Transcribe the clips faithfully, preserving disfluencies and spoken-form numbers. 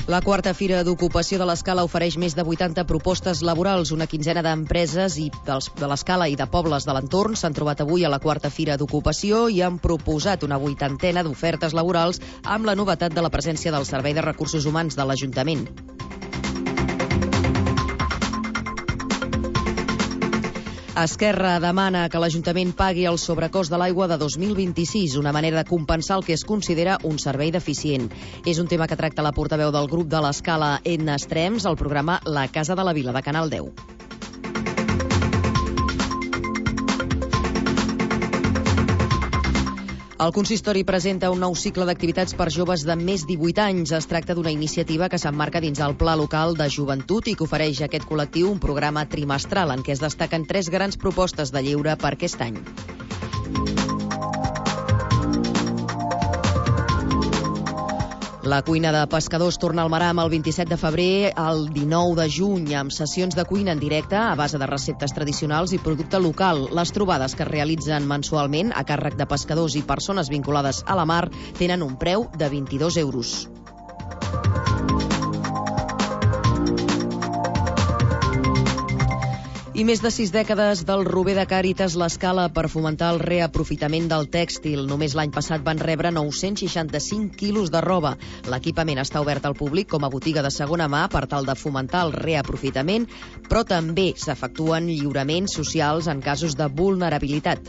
La quarta Fira d'Ocupació de l'Escala ofereix més de vuitanta propostes laborals. Una quinzena d'empreses i dels, de l'Escala i de pobles de l'entorn s'han trobat avui a la quarta Fira d'Ocupació i han proposat una vuitantena d'ofertes laborals amb la novetat de la presència del Servei de Recursos Humans de l'Ajuntament. Esquerra demana que l'Ajuntament pagui el sobrecost de l'aigua de dos mil vint-i-sis, una manera de compensar el que es considera un servei deficient. És un tema que tracta la portaveu del grup de l'Escala, Edna Estrems, al programa La Casa de la Vila, de Canal deu. El consistori presenta un nou cicle d'activitats per joves de més divuit anys. Es tracta d'una iniciativa que s'emmarca dins el Pla Local de Joventut i que ofereix a aquest col·lectiu un programa trimestral en què es destaquen tres grans propostes de lleure per aquest any. La cuina de pescadors torna al Maram el vint-i-set de febrer al dinou de juny amb sessions de cuina en directe a base de receptes tradicionals i producte local. Les trobades que es realitzen mensualment a càrrec de pescadors i persones vinculades a la mar tenen un preu de vint-i-dos euros. I més de sis dècades del Rober de Càritas l'Escala per fomentar el reaprofitament del tèxtil. Només l'any passat van rebre nou-cents seixanta-cinc quilos de roba. L'equipament està obert al públic com a botiga de segona mà per tal de fomentar el reaprofitament, però també s'efectuen lliuraments socials en casos de vulnerabilitat.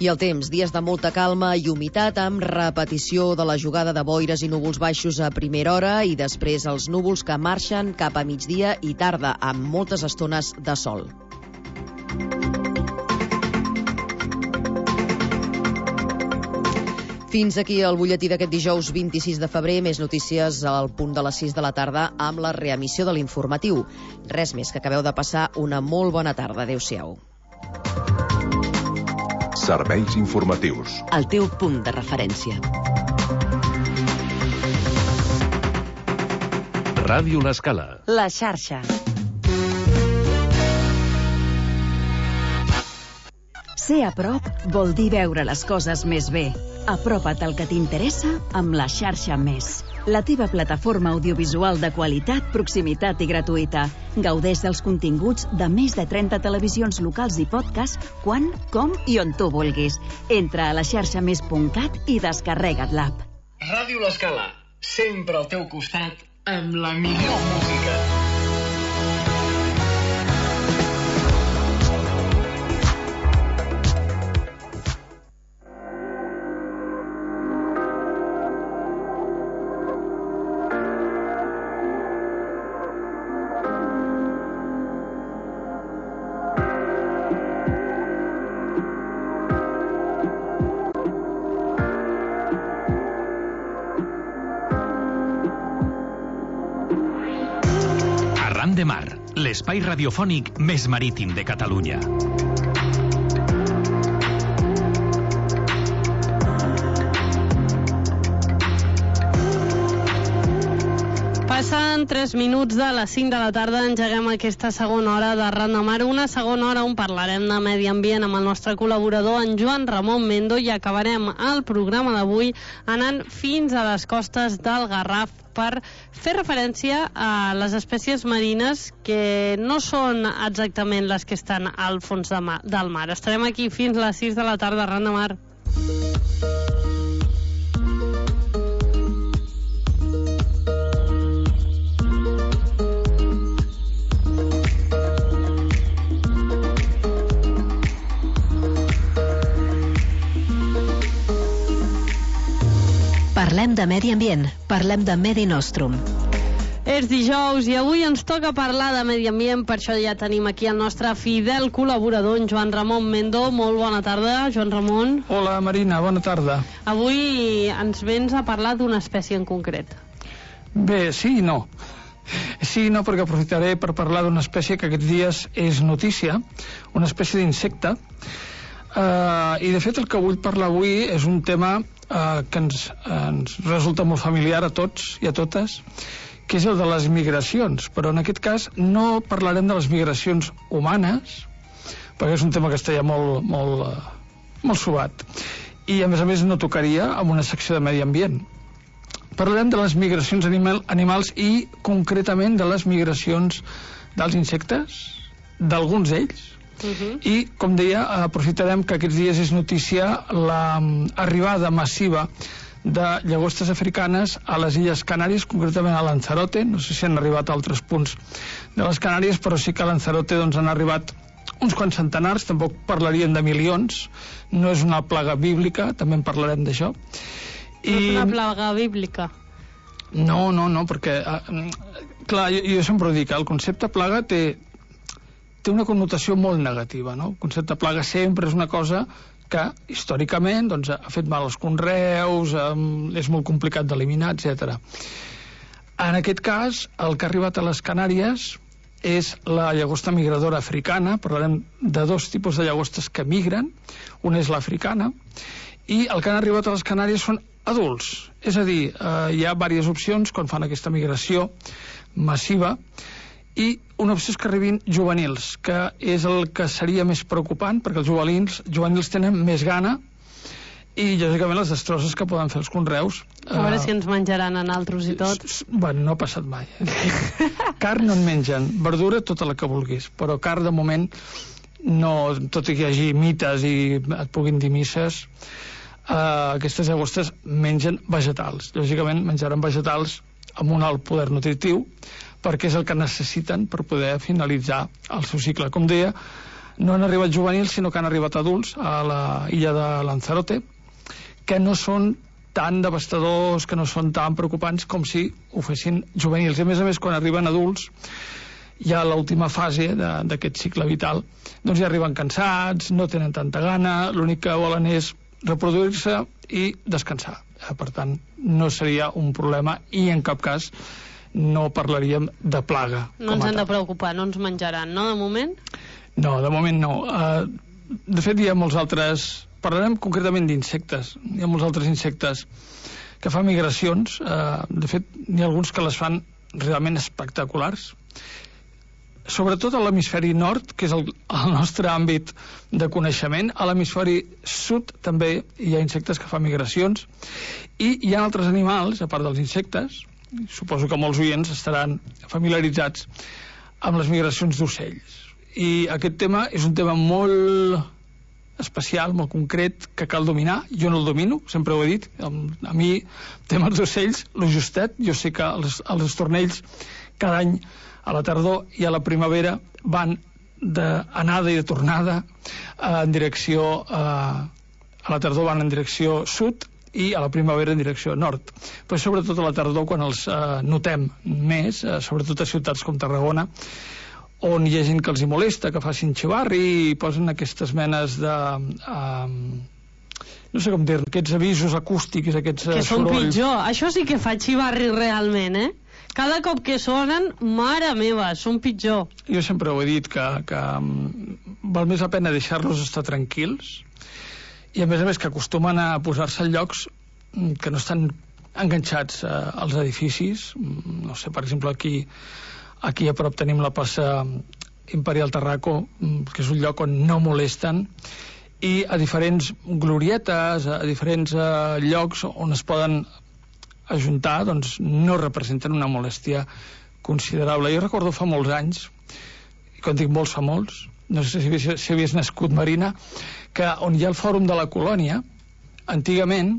I el temps, dies de molta calma i humitat amb repetició de la jugada de boires i núvols baixos a primera hora i després els núvols que marxen cap a migdia i tarda amb moltes estones de sol. Fins aquí el butlletí d'aquest dijous vint-i-sis de febrer. Més notícies al punt de les sis de la tarda amb la reemissió de l'informatiu. Res més, que acabeu de passar una molt bona tarda. Adéu-siau. Serveis informatius. El teu punt de referència. Ràdio l'Escala. La xarxa. Ser a prop vol dir veure les coses més bé. Apropa't al que t'interessa amb la xarxa Més. La teva plataforma audiovisual de qualitat, proximitat i gratuïta. Gaudeix dels continguts de més de trenta televisions locals i podcast quan, com i on tu vulguis. Entra a la xarxa més punt cat i descarrega't l'app. Ràdio l'Escala, sempre al teu costat amb la millor música. De Mar, l'espai radiofònic més marítim de Catalunya. Passen tres minuts de les cinc de la tarda, engeguem aquesta segona hora de Arran de Mar, una segona hora on parlarem de medi ambient amb el nostre col·laborador, en Joan Ramon Mendo, i acabarem el programa d'avui anant fins a les costes del Garraf per fer referència a les espècies marines que no són exactament les que estan al fons de mar, del mar. Estarem aquí fins a les sis de la tarda, Arran de Mar. Parlem de medi ambient, parlem de Medi Nostrum. És dijous i avui ens toca parlar de medi ambient, per això ja tenim aquí el nostre fidel col·laborador, en Joan Ramon Mendo. Molt bona tarda, Joan Ramon. Hola, Marina, bona tarda. Avui ens vens a parlar d'una espècie en concret. Bé, sí i no. Sí i no, perquè aprofitaré per parlar d'una espècie que aquests dies és notícia, una espècie d'insecte, uh, i de fet el que vull parlar avui és un tema uh, que ens, uh, ens resulta molt familiar a tots i a totes, que és el de les migracions, però en aquest cas no parlarem de les migracions humanes, perquè és un tema que està ja molt, molt, uh, molt suat, i a més a més no tocaria amb una secció de medi ambient. Parlarem de les migracions animal, animals i concretament de les migracions dels insectes, d'alguns d'ells. Uh-huh. I, com deia, aprofitarem que aquests dies és notícia l'arribada massiva de llagostes africanes a les Illes Canàries, concretament a Lanzarote. No sé si han arribat a altres punts de les Canàries, però sí que a Lanzarote doncs, han arribat uns quants centenars, tampoc parlaríem de milions, no és una plaga bíblica, també en parlarem d'això. I... No és una plaga bíblica? No, no, no, perquè, eh, clar, jo, jo sempre ho dic, el concepte plaga té, té una connotació molt negativa, no? El concepte plaga sempre és una cosa que històricament doncs, ha fet mal als conreus, eh, és molt complicat d'eliminar, etcètera. En aquest cas, el que ha arribat a les Canàries és la llagosta migradora africana. Parlarem de dos tipus de llagostes que migren. Una és l'africana, i el que han arribat a les Canàries són adults. És a dir, eh, hi ha diverses opcions quan fan aquesta migració massiva, i una opció és que arribin juvenils, que és el que seria més preocupant, perquè els juvenils, juvenils tenen més gana i, lògicament, les destrosses que poden fer els conreus. A veure uh, si ens menjaran a naltros i tot. Bueno, no ha passat mai. Eh? Carn no en mengen, verdura tota la que vulguis, però carn de moment no, tot i que hi hagi mites i et puguin dir misses, uh, aquestes llagostes mengen vegetals. Lògicament menjaran vegetals amb un alt poder nutritiu, perquè és el que necessiten per poder finalitzar el seu cicle. Com deia, no han arribat juvenils, sinó que han arribat adults a la illa de Lanzarote, que no són tan devastadors, que no són tan preocupants com si ho fessin juvenils. I a més a més, quan arriben adults, ja a l'última fase d'aquest cicle vital, doncs ja arriben cansats, no tenen tanta gana, l'únic que volen és reproduir-se i descansar. Per tant, no seria un problema i en cap cas no parlaríem de plaga. No ens hem de preocupar, no ens menjaran, no, de moment? No, de moment no. Uh, de fet, hi ha molts altres... Parlarem concretament d'insectes. Hi ha molts altres insectes que fan migracions. Uh, de fet, n'hi ha alguns que les fan realment espectaculars. Sobretot a l'hemisferi nord, que és el, el nostre àmbit de coneixement. A l'hemisferi sud també hi ha insectes que fan migracions. I hi ha altres animals, a part dels insectes, suposo que molts oients estaran familiaritzats amb les migracions d'ocells. I aquest tema és un tema molt especial, molt concret, que cal dominar. Jo no el domino, sempre ho he dit. A mi, temes d'ocells, lo justet. Jo sé que els, els estornells cada any a la tardor i a la primavera van d'anada i de tornada en direcció a, a la tardor van en direcció sud i a la primavera en direcció nord. Però sobretot a la tardor, quan els eh, notem més, eh, sobretot a ciutats com Tarragona, on hi ha gent que els hi molesta, que facin xivarri i posen aquestes menes de... Eh, no sé com dir, aquests avisos acústics, aquests que són sorolls. Pitjor. Això sí que fa xivarri realment, eh? Cada cop que sonen, mare meva, són pitjor. Jo sempre ho he dit, que, que val més la pena deixar-los estar tranquils, i a més a més que acostumen a posar-se en llocs que no estan enganxats eh, als edificis. No sé, per exemple, aquí aquí a prop tenim la plaça Imperial Tarraco, que és un lloc on no molesten, i a diferents glorietes, a diferents eh, llocs on es poden ajuntar, doncs no representen una molèstia considerable. Jo recordo fa molts anys, i quan dic molts fa molts, no sé si havies, si havies nascut, Marina, que on hi ha el Fòrum de la Colònia, antigament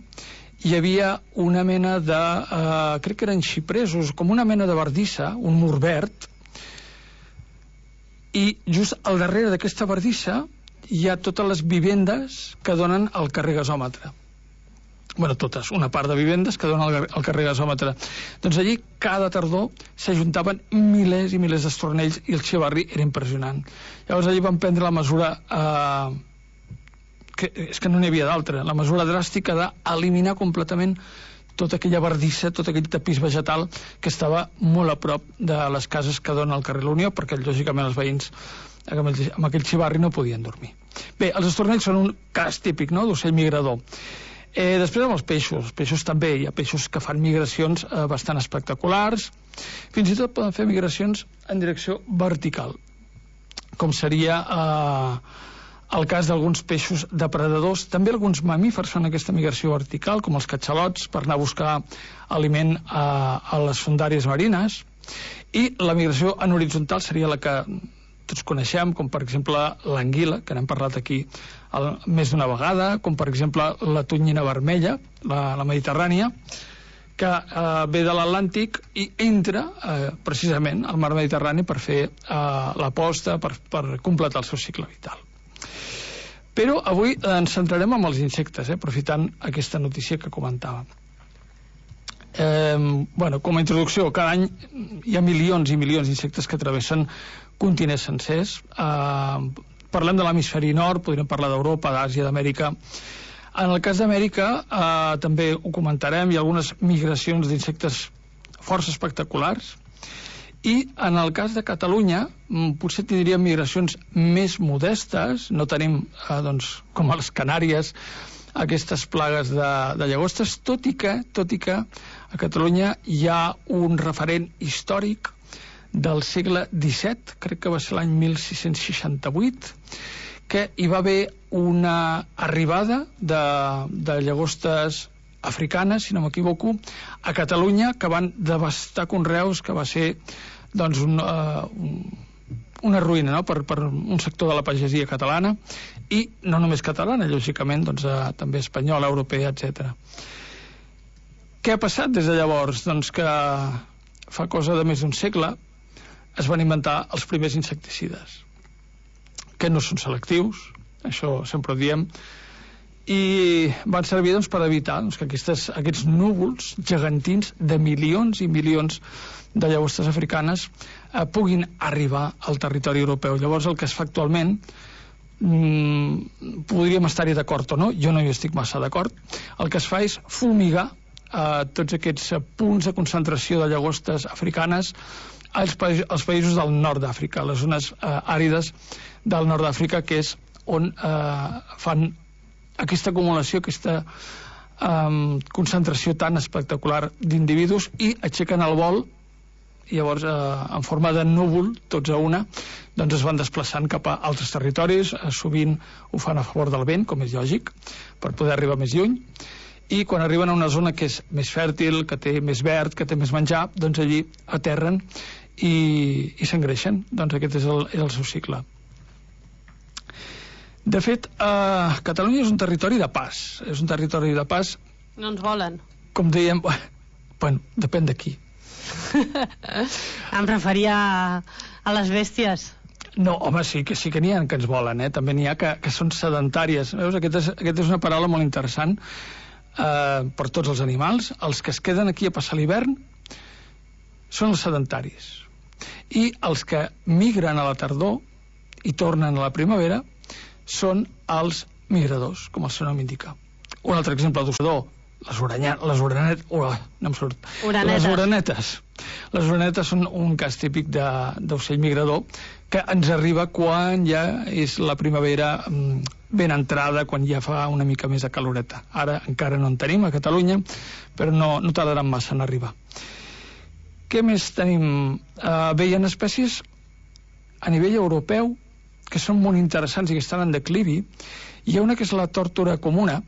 hi havia una mena de, eh, crec que eren xipresos, com una mena de bardissa, un mur verd, i just al darrere d'aquesta bardissa hi ha totes les vivendes que donen al carrer Gasòmetre. Bueno, totes, una part de vivendes que donen al, al carrer Gasòmetre. Doncs allí cada tardor s'ajuntaven milers i milers d'estornells i el xivarri era impressionant. Llavors allí van prendre la mesura... Eh, que és que no n'hi havia d'altra, la mesura dràstica d'eliminar completament tota aquella bardissa, tot aquell tapís vegetal que estava molt a prop de les cases que donen al carrer La Unió, perquè lògicament els veïns amb aquell xivarri no podien dormir. Bé, els estornells són un cas típic, no?, d'ocell migrador. Eh, després amb els peixos, els peixos també, hi ha peixos que fan migracions eh, bastant espectaculars, fins i tot poden fer migracions en direcció vertical, com seria... Eh, el cas d'alguns peixos depredadors. També alguns mamífers fan aquesta migració vertical, com els catxalots, per anar a buscar aliment a, a les fondàries marines. I la migració en horitzontal seria la que tots coneixem, com per exemple l'anguila, que n'hem parlat aquí el, més d'una vegada, com per exemple la tonyina vermella, la, la mediterrània, que eh, ve de l'Atlàntic i entra eh, precisament al mar Mediterrani per fer eh, la posta, per, per completar el seu cicle vital. Però avui ens centrarem en els insectes, eh, aprofitant aquesta notícia que comentàvem. Eh, bueno, com a introducció, cada any hi ha milions i milions d'insectes que travessen continents sencers. Eh, parlem de l'hemisferi nord, podríem parlar d'Europa, d'Àsia, d'Amèrica. En el cas d'Amèrica eh, també ho comentarem, hi ha algunes migracions d'insectes força espectaculars, i en el cas de Catalunya potser tindríem migracions més modestes, no tenim eh, doncs, com a les Canàries aquestes plagues de, de llagostes, tot i que, tot i que a Catalunya hi ha un referent històric del segle disset, crec que va ser l'any mil sis-cents seixanta-vuit, que hi va haver una arribada de, de llagostes africanes, si no m'equivoco, a Catalunya, que van devastar conreus, que va ser doncs, un, uh, un, una ruïna, no?, per, per un sector de la pagesia catalana, i no només catalana, lògicament, doncs, uh, també espanyola, europea, etcètera. Què ha passat des de llavors? Doncs que fa cosa de més d'un segle es van inventar els primers insecticides, que no són selectius, això sempre ho diem, i van servir doncs, per evitar doncs, que aquestes, aquests núvols gegantins de milions i milions de llagostes africanes eh, puguin arribar al territori europeu. Llavors el que es fa actualment, mmm, podríem estar-hi d'acord o no, jo no hi estic massa d'acord, el que es fa és fumigar eh, tots aquests punts de concentració de llagostes africanes als, pa als països del nord d'Àfrica, les zones eh, àrides del nord d'Àfrica, que és on eh, fan aquesta acumulació, aquesta eh, concentració tan espectacular d'individus, i aixequen el vol, i llavors eh, en forma de núvol, tots a una, doncs es van desplaçant cap a altres territoris, eh, sovint ho fan a favor del vent, com és lògic, per poder arribar més lluny, i quan arriben a una zona que és més fèrtil, que té més verd, que té més menjar, doncs allí aterren i, i s'engreixen. Doncs aquest és el, és el seu cicle. De fet, eh, Catalunya és un territori de pas. És un territori de pas... No ens volen. Com dèiem, bueno, depèn de qui. Em referia a, a les bèsties. No, home, sí que sí que n'hi ha que ens volen, eh? També n'hi ha que, que són sedentàries. Veus? Aquesta és, aquest és una paraula molt interessant eh, per tots els animals. Els que es queden aquí a passar l'hivern són els sedentaris. I els que migren a la tardor i tornen a la primavera són els migradors, com el seu nom indica. Un altre exemple d'ossador, les orenetes, les orenetes, oh, no em surt. Orenetes. Les orenetes. Les orenetes són un cas típic d'ocell migrador que ens arriba quan ja és la primavera ben entrada, quan ja fa una mica més de caloreta. Ara encara no en tenim a Catalunya, però no, no tardaran massa en arribar. Què més tenim? Uh, bé, hi ha espècies a nivell europeu que són molt interessants i que estan en declivi. Hi ha una que és la tòrtora comuna,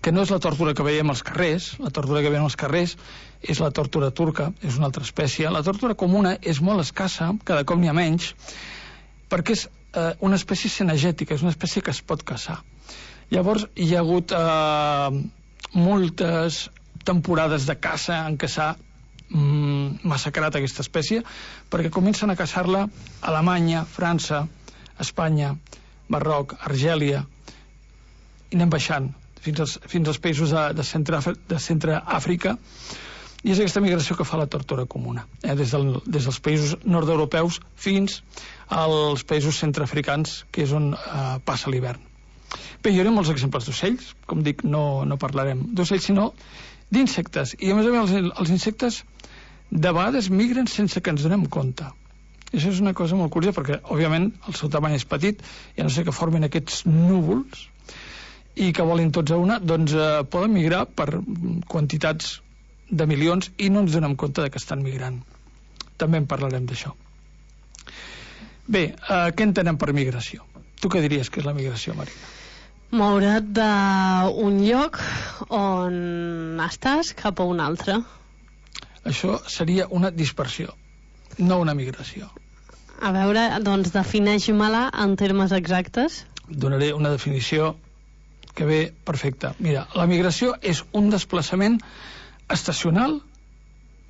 que no és la tòrtora que veiem als carrers. La tòrtora que veiem als carrers és la tòrtora turca, és una altra espècie. La tòrtora comuna és molt escassa, cada cop n'hi ha menys, perquè és eh, una espècie cinegètica, és una espècie que es pot caçar. Llavors hi ha hagut eh, moltes temporades de caça en què s'ha mm, massacrat aquesta espècie, perquè comencen a caçar-la a Alemanya, França, Espanya, Marroc, Argèlia, i anem baixant fins als, fins als països de, de, centre, de centre Àfrica, i és aquesta migració que fa la tòrtora comuna, eh, des, del, des dels països nord-europeus fins als països centreafricans, que és on eh, passa l'hivern. Bé, hi haurà molts exemples d'ocells, com dic, no, no parlarem d'ocells, sinó d'insectes, i a més a més els, els insectes de vegades migren sense que ens donem compte. I això és una cosa molt curiosa, perquè òbviament el seu tamany és petit, i a no ser que formin aquests núvols i que volin tots a una, doncs eh, poden migrar per quantitats de milions i no ens donem compte de que estan migrant. També en parlarem d'això. Bé, eh, què entenem per migració? Tu què diries que és la migració, Marina? Moure't d'un lloc on estàs cap a un altre. Això seria una dispersió, no una migració. A veure, doncs defineix-me-la en termes exactes. Donaré una definició que ve perfecta. Mira, la migració és un desplaçament estacional,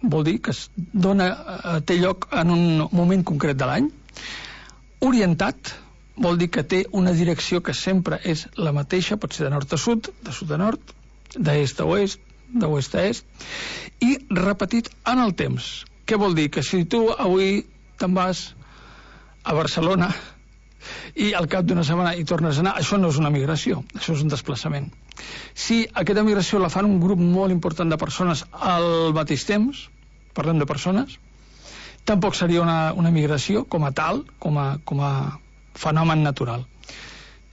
vol dir que es dona, té lloc en un moment concret de l'any. Orientat, vol dir que té una direcció que sempre és la mateixa, pot ser de nord a sud, de sud a nord, d'est a oest, d'oest a est, i repetit en el temps. Què vol dir? Que si tu avui te'n vas a Barcelona i al cap d'una setmana hi tornes a anar, això no és una migració, això és un desplaçament. Si aquesta migració la fan un grup molt important de persones al mateix temps, parlem de persones, tampoc seria una, una migració com a tal, com a, com a fenomen natural,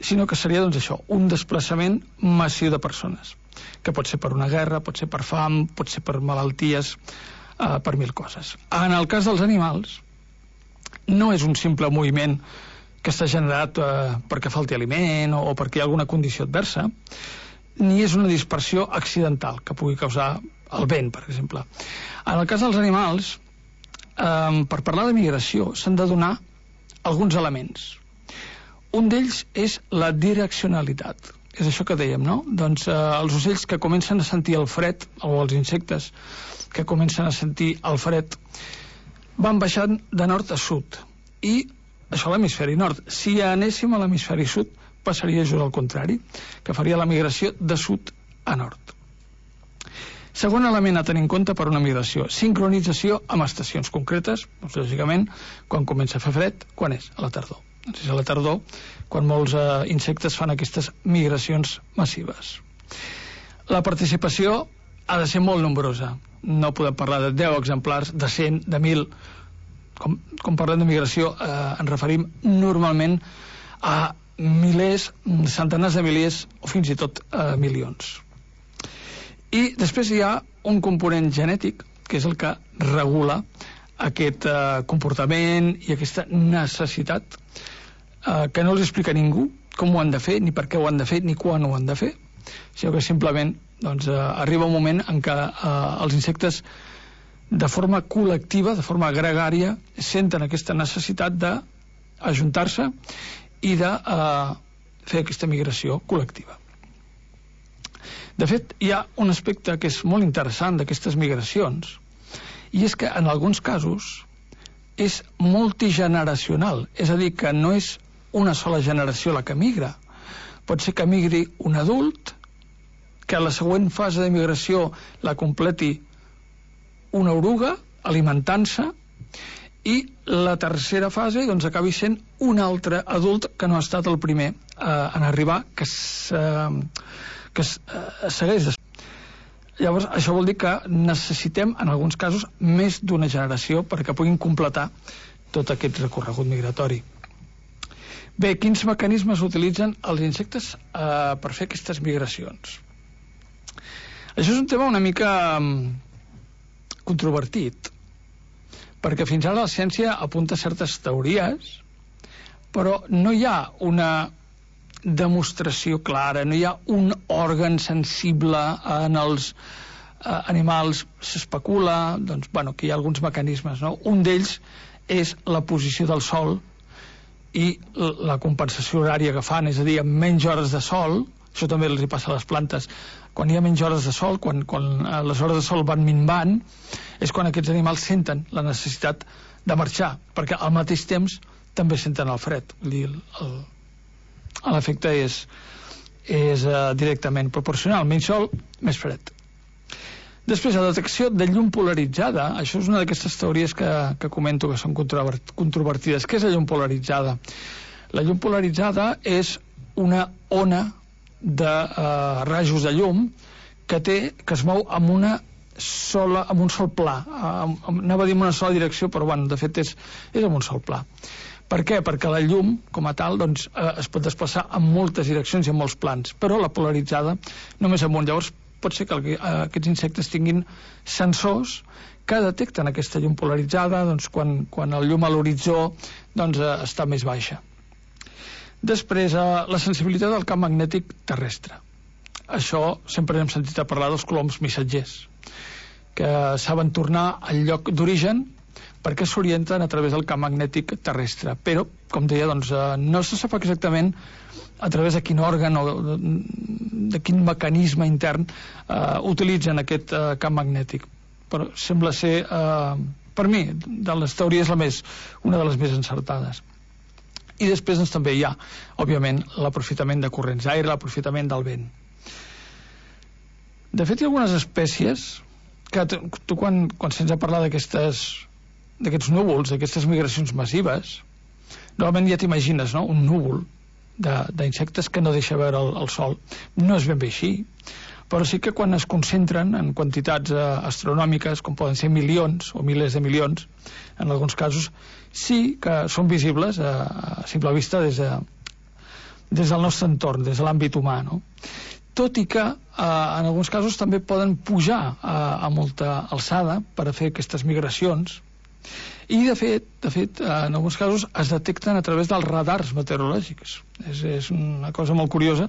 sinó que seria doncs això, un desplaçament massiu de persones, que pot ser per una guerra, pot ser per fam, pot ser per malalties, eh, per mil coses. En el cas dels animals, no és un simple moviment que està generat eh, perquè falti aliment o, o perquè hi ha alguna condició adversa, ni és una dispersió accidental que pugui causar el vent, per exemple. En el cas dels animals, eh, per parlar de migració s'han de donar alguns elements. Un d'ells és la direccionalitat. És això que dèiem, no? Doncs eh, els ocells que comencen a sentir el fred, o els insectes que comencen a sentir el fred, van baixant de nord a sud. I això a l'hemisferi nord. Si anéssim a l'hemisferi sud, passaria just al contrari, que faria la migració de sud a nord. Segon element a tenir en compte per una migració, sincronització amb estacions concretes, doncs, lògicament, quan comença a fer fred, quan és? A la tardor. Doncs és a la tardor quan molts eh, insectes fan aquestes migracions massives. La participació ha de ser molt nombrosa. No podem parlar de deu exemplars, de cent, de mil. Com, com parlem de migració, eh, ens referim normalment a milers, centenars de milers o fins i tot eh, milions. I després hi ha un component genètic, que és el que regula aquest eh, comportament i aquesta necessitat eh, que no els explica ningú com ho han de fer, ni per què ho han de fer, ni quan ho han de fer, sinó que simplement doncs, eh, arriba un moment en què eh, els insectes de forma col·lectiva, de forma gregària, senten aquesta necessitat d'ajuntar-se i de eh, fer aquesta migració col·lectiva. De fet, hi ha un aspecte que és molt interessant d'aquestes migracions, i és que en alguns casos és multigeneracional, és a dir, que no és una sola generació la que migra. Pot ser que migri un adult, que a la següent fase de migració la completi una oruga, alimentant-se, i la tercera fase doncs, acabi sent un altre adult que no ha estat el primer eh, en arribar, que s'ha... que es, eh, segueix. Llavors, això vol dir que necessitem, en alguns casos, més d'una generació perquè puguin completar tot aquest recorregut migratori. Bé, quins mecanismes utilitzen els insectes eh, per fer aquestes migracions? Això és un tema una mica um, controvertit, perquè fins ara la ciència apunta certes teories, però no hi ha una demostració clara, no hi ha un òrgan sensible en els eh, animals. S'especula doncs, bueno, que hi ha alguns mecanismes, no? Un d'ells és la posició del sol i la compensació horària que fan, és a dir, amb menys hores de sol. Això també els hi passa a les plantes. Quan hi ha menys hores de sol, quan, quan les hores de sol van minvant, és quan aquests animals senten la necessitat de marxar, perquè al mateix temps també senten el fred. Vull dir, el, l'efecte és, és uh, directament proporcional. Menys sol, més fred. Després, la detecció de llum polaritzada. Això és una d'aquestes teories que, que comento que són controvertides. Què és la llum polaritzada? La llum polaritzada és una ona de uh, rajos de llum que té, que es mou amb una sola, amb un sol pla. Uh, anava a dir en una sola direcció, però bueno, de fet és, és amb un sol pla. Per què? Perquè la llum, com a tal, doncs, eh, es pot desplaçar en moltes direccions i en molts plans, però la polaritzada només amunt. Llavors, pot ser que el, eh, aquests insectes tinguin sensors que detecten aquesta llum polaritzada doncs, quan, quan el llum a l'horitzó doncs, eh, està més baixa. Després, eh, la sensibilitat del camp magnètic terrestre. Això sempre hem sentit a parlar dels coloms missatgers, que saben tornar al lloc d'origen perquè s'orienten a través del camp magnètic terrestre. Però, com deia, doncs, eh, no se sap exactament a través de quin òrgan o de, de quin mecanisme intern eh, utilitzen aquest eh, camp magnètic. Però sembla ser, eh, per mi, de les teories la més, una de les més encertades. I després doncs, també hi ha, òbviament, l'aprofitament de corrents d'aire, l'aprofitament del vent. De fet, hi ha algunes espècies que tu, quan, quan se'ns ha parlat d'aquestes d'aquests núvols, d'aquestes migracions massives, normalment ja t'imagines, no?, un núvol d'insectes que no deixa veure el, el sol. No és ben bé així, però sí que quan es concentren en quantitats eh, astronòmiques, com poden ser milions o milers de milions, en alguns casos, sí que són visibles a, a simple vista des, de, des del nostre entorn, des de l'àmbit humà, no? Tot i que eh, en alguns casos també poden pujar a, a molta alçada per a fer aquestes migracions. I de fet, de fet, en alguns casos es detecten a través dels radars meteorològics. És, és una cosa molt curiosa,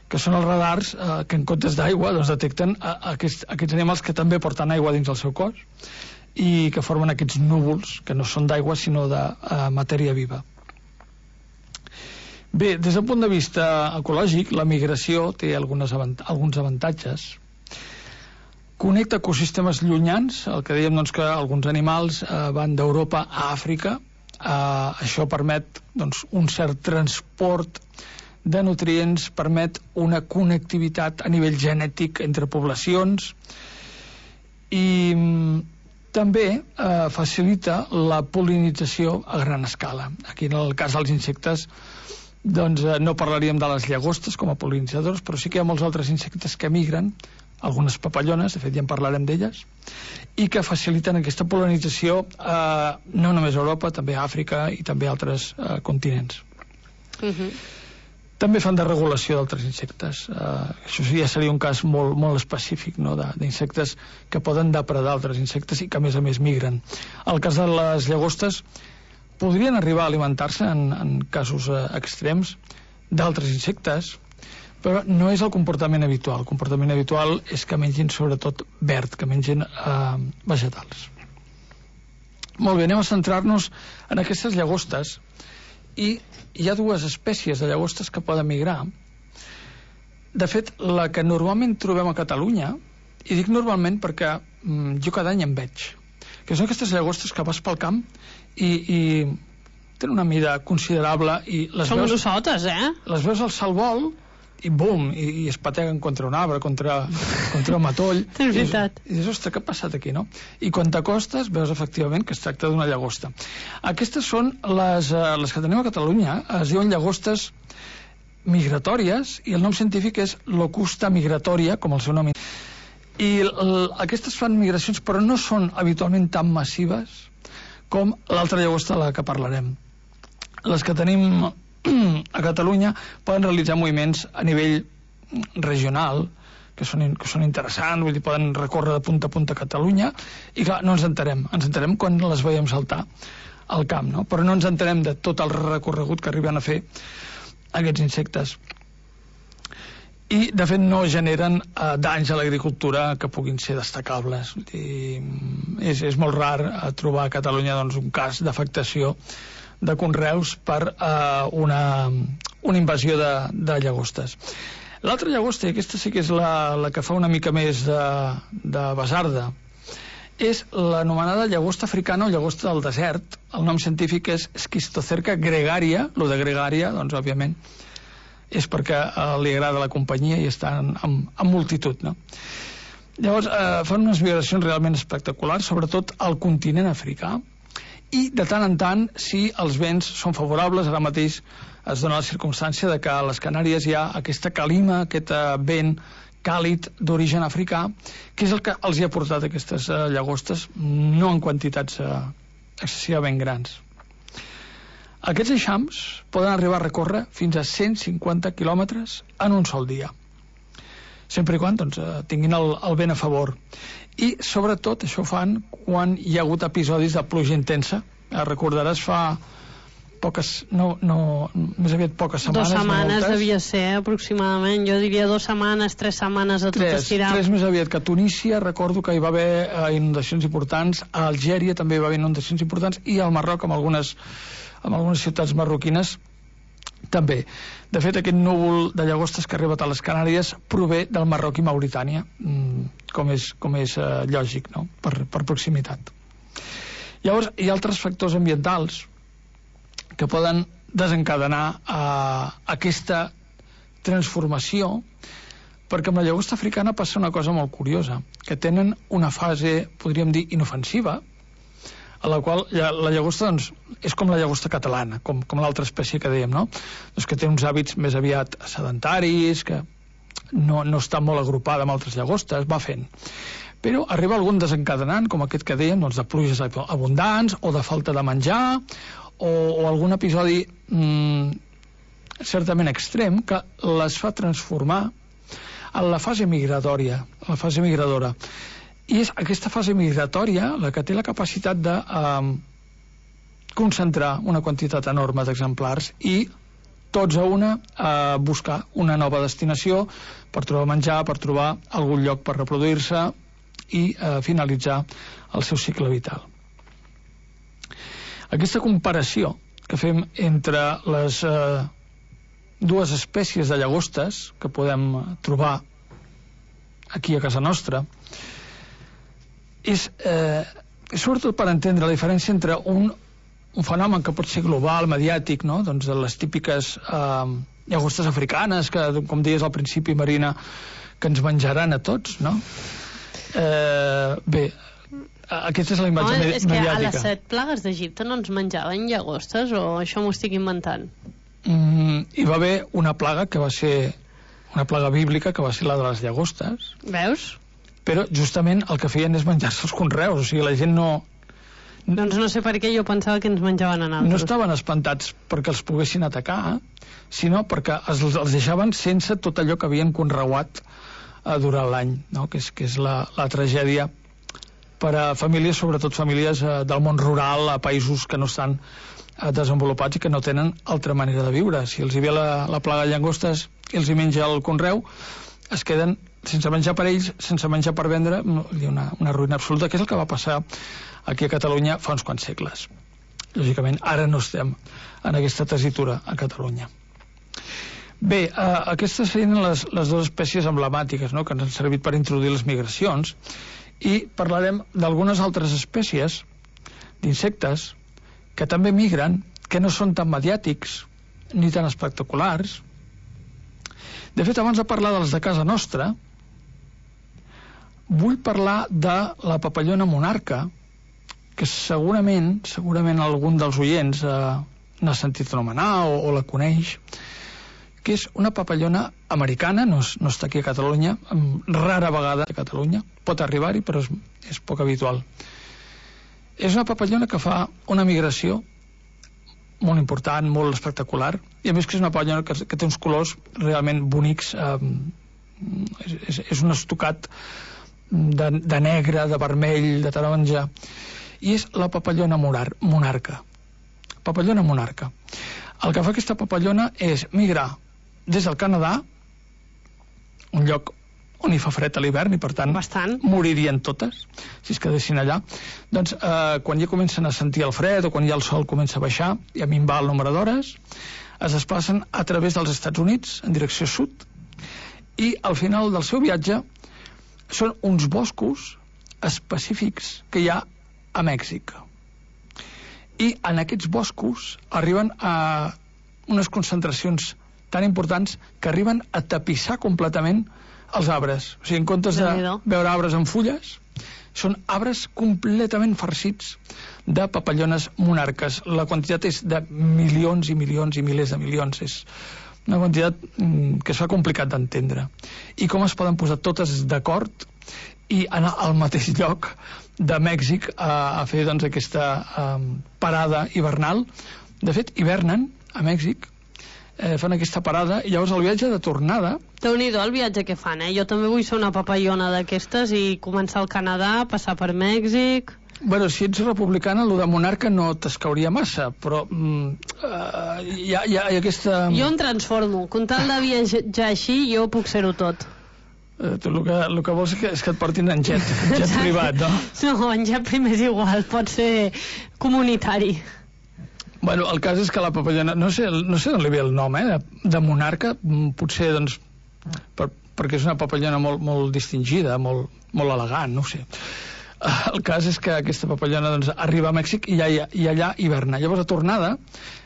que són els radars eh, que en comptes d'aigua doncs, detecten a, a aquests, aquests animals que també porten aigua dins el seu cos i que formen aquests núvols que no són d'aigua sinó de uh, matèria viva. Bé, des del punt de vista ecològic, la migració té algunes avant alguns avantatges. Connecta ecosistemes llunyans, el que dèiem doncs, que alguns animals eh, van d'Europa a Àfrica. Eh, això permet doncs, un cert transport de nutrients, permet una connectivitat a nivell genètic entre poblacions i també eh, facilita la pol·linització a gran escala. Aquí en el cas dels insectes doncs, eh, no parlaríem de les llagostes com a pol·linitzadors, però sí que hi ha molts altres insectes que migren, algunes papallones, de fet ja en parlarem d'elles, i que faciliten aquesta pol·linització eh, no només a Europa, també a Àfrica i també a altres eh, continents. Uh-huh. També fan de regulació d'altres insectes. Eh, això ja seria un cas molt, molt específic, no?, d'insectes que poden depredar altres insectes i que a més a més migren. El cas de les llagostes podrien arribar a alimentar-se en, en casos eh, extrems d'altres insectes, però no és el comportament habitual. El comportament habitual és que mengin sobretot verd, que mengin eh, vegetals. Molt bé, anem a centrar-nos en aquestes llagostes, i hi ha dues espècies de llagostes que poden migrar. De fet, la que normalment trobem a Catalunya, i dic normalment perquè mm, jo cada any en veig, que són aquestes llagostes que vas pel camp i, i tenen una mida considerable i les són veus... Són grossotes, eh? Les veus al salvol i bum, i, i es pateguen contra un arbre, contra, contra un matoll. És veritat. I dius, ostres, què ha passat aquí, no? I quan t'acostes veus efectivament que es tracta d'una llagosta. Aquestes són les, les que tenim a Catalunya, es diuen llagostes migratòries, i el nom científic és Locusta migratoria, com el seu nom. I el, aquestes fan migracions, però no són habitualment tan massives com l'altra llagosta de la que parlarem. Les que tenim a Catalunya poden realitzar moviments a nivell regional que són, que són interessants, vull dir, poden recórrer de punta a punta a Catalunya, i clar, no ens enterem, ens enterem quan les veiem saltar al camp, no? Però no ens enterem de tot el recorregut que arriben a fer aquests insectes. I de fet no generen eh, danys a l'agricultura que puguin ser destacables. Vull dir, és, és molt rar eh, trobar a Catalunya doncs, un cas d'afectació de conreus per eh, una, una invasió de, de llagostes. L'altra llagosta, i aquesta sí que és la, la que fa una mica més de, de basarda, és l'anomenada llagosta africana o llagosta del desert. El nom científic és Schistocerca gregaria. Lo de gregària, doncs, òbviament, és perquè eh, li agrada la companyia i està en, en, en multitud, no? Llavors, eh, fan unes migracions realment espectaculars, sobretot al continent africà, i de tant en tant, si els vents són favorables, ara mateix es dona la circumstància de que a les Canàries hi ha aquesta calima, aquest vent càlid d'origen africà, que és el que els hi ha portat aquestes uh, llagostes, no en quantitats uh, excessivament grans. Aquests eixams poden arribar a recórrer fins a cent cinquanta quilòmetres en un sol dia, sempre i quan doncs, tinguin el, el vent a favor. I sobretot això ho fan quan hi ha hagut episodis de pluja intensa. Recordaràs fa poques, no, no, més aviat poques setmanes. Dos setmanes no devia ser, aproximadament. Jo diria dos setmanes, tres setmanes a tot tres, estirar. Tres més aviat que a Tunísia, recordo que hi va haver eh, inundacions importants, a Algèria també hi va haver inundacions importants, i al Marroc, amb algunes, amb algunes ciutats marroquines, també. De fet, aquest núvol de llagostes que ha arribat a les Canàries prové del Marroc i Mauritània, com és, com és eh, lògic, no? per, per proximitat. Llavors, hi ha altres factors ambientals que poden desencadenar eh, aquesta transformació, perquè amb la llagosta africana passa una cosa molt curiosa, que tenen una fase, podríem dir, inofensiva, a la qual la llagosta doncs, és com la llagosta catalana, com, com l'altra espècie que dèiem, no? Doncs que té uns hàbits més aviat sedentaris, que no, no està molt agrupada amb altres llagostes, va fent. Però arriba algun desencadenant, com aquest que dèiem, doncs, de pluges abundants, o de falta de menjar, o, o algun episodi mmm, certament extrem, que les fa transformar en la fase migratòria, la fase migradora. I és aquesta fase migratòria la que té la capacitat de eh, concentrar una quantitat enorme d'exemplars i tots a una a buscar una nova destinació per trobar menjar, per trobar algun lloc per reproduir-se i eh, finalitzar el seu cicle vital. Aquesta comparació que fem entre les eh, dues espècies de llagostes que podem trobar aquí a casa nostra és eh, sobretot per entendre la diferència entre un, un fenomen que pot ser global, mediàtic, no? Doncs de les típiques eh, llagostes africanes que, com deies al principi, Marina, que ens menjaran a tots, no? Eh, bé, aquesta és la imatge Home, med és que mediàtica. a les set plagues d'Egipte no ens menjaven llagostes, o això m'ho estic inventant? Mm, hi va haver una plaga que va ser una plaga bíblica, que va ser la de les llagostes. Veus? Però justament el que feien és menjar-se els conreus, o sigui, la gent no... Doncs no sé per què jo pensava que ens menjaven a nosaltres. No estaven espantats perquè els poguessin atacar, sinó perquè els, els deixaven sense tot allò que havien conreuat eh, durant l'any, no? que és, que és la, la tragèdia per a famílies, sobretot famílies eh, del món rural, a països que no estan eh, desenvolupats i que no tenen altra manera de viure. Si els hi ve la, la plaga de llagostes i els hi menja el conreu, es queden sense menjar per ells, sense menjar per vendre, una, una ruïna absoluta, que és el que va passar aquí a Catalunya fa uns quants segles. Lògicament, ara no estem en aquesta tessitura a Catalunya. Bé, eh, aquestes serien les, les dues espècies emblemàtiques, no?, que ens han servit per introduir les migracions, i parlarem d'algunes altres espècies d'insectes que també migren, que no són tan mediàtics ni tan espectaculars. De fet, abans de parlar dels de casa nostra, vull parlar de la papallona monarca, que segurament, segurament algun dels oients eh, n'ha sentit anomenar o, o la coneix, que és una papallona americana, no, és, no està aquí a Catalunya, rara vegada a Catalunya, pot arribar-hi, però és, és poc habitual. És una papallona que fa una migració molt important, molt espectacular, i a més que és una papallona que, que té uns colors realment bonics, eh, és, és un estocat de, de negre, de vermell, de taronja, i és la papallona monar, monarca. Papallona monarca. El que fa aquesta papallona és migrar des del Canadà, un lloc on hi fa fred a l'hivern i per tant Bastant. moririen totes si es quedessin allà, doncs eh, quan ja comencen a sentir el fred o quan ja el sol comença a baixar i a minvar el nombre d'hores, es desplacen a través dels Estats Units en direcció sud, i al final del seu viatge són uns boscos específics que hi ha a Mèxic, i en aquests boscos arriben a unes concentracions tan importants que arriben a tapissar completament els arbres. O sigui, en comptes de veure arbres amb fulles, són arbres completament farcits de papallones monarques. La quantitat és de milions i milions i milers de milions. És una quantitat que es fa complicat d'entendre. I com es poden posar totes d'acord i anar al mateix lloc de Mèxic a, a fer doncs, aquesta um, parada hivernal. De fet, hivernen a Mèxic, eh, fan aquesta parada, i llavors el viatge de tornada... Déu-n'hi-do el viatge que fan, eh? Jo també vull ser una papallona d'aquestes i començar al Canadà, passar per Mèxic... Bueno, si ets republicana, el de monarca no t'escauria massa, però mm, uh, hi, ha, hi ha aquesta... Jo em transformo. Com tal de viatjar així, jo puc ser-ho tot. Uh, tu el que, el que vols és que, és que et portin en jet, en jet privat, no? No, en jet primer és igual, pot ser comunitari. Bueno, el cas és que la papallona, no sé, no sé d'on li ve el nom, eh, de, de monarca, potser, doncs, per, perquè és una papallona molt, molt distingida, molt, molt elegant, no ho sé. El cas és que aquesta papallona doncs, arriba a Mèxic i, allà, i allà hiverna. Llavors, a tornada,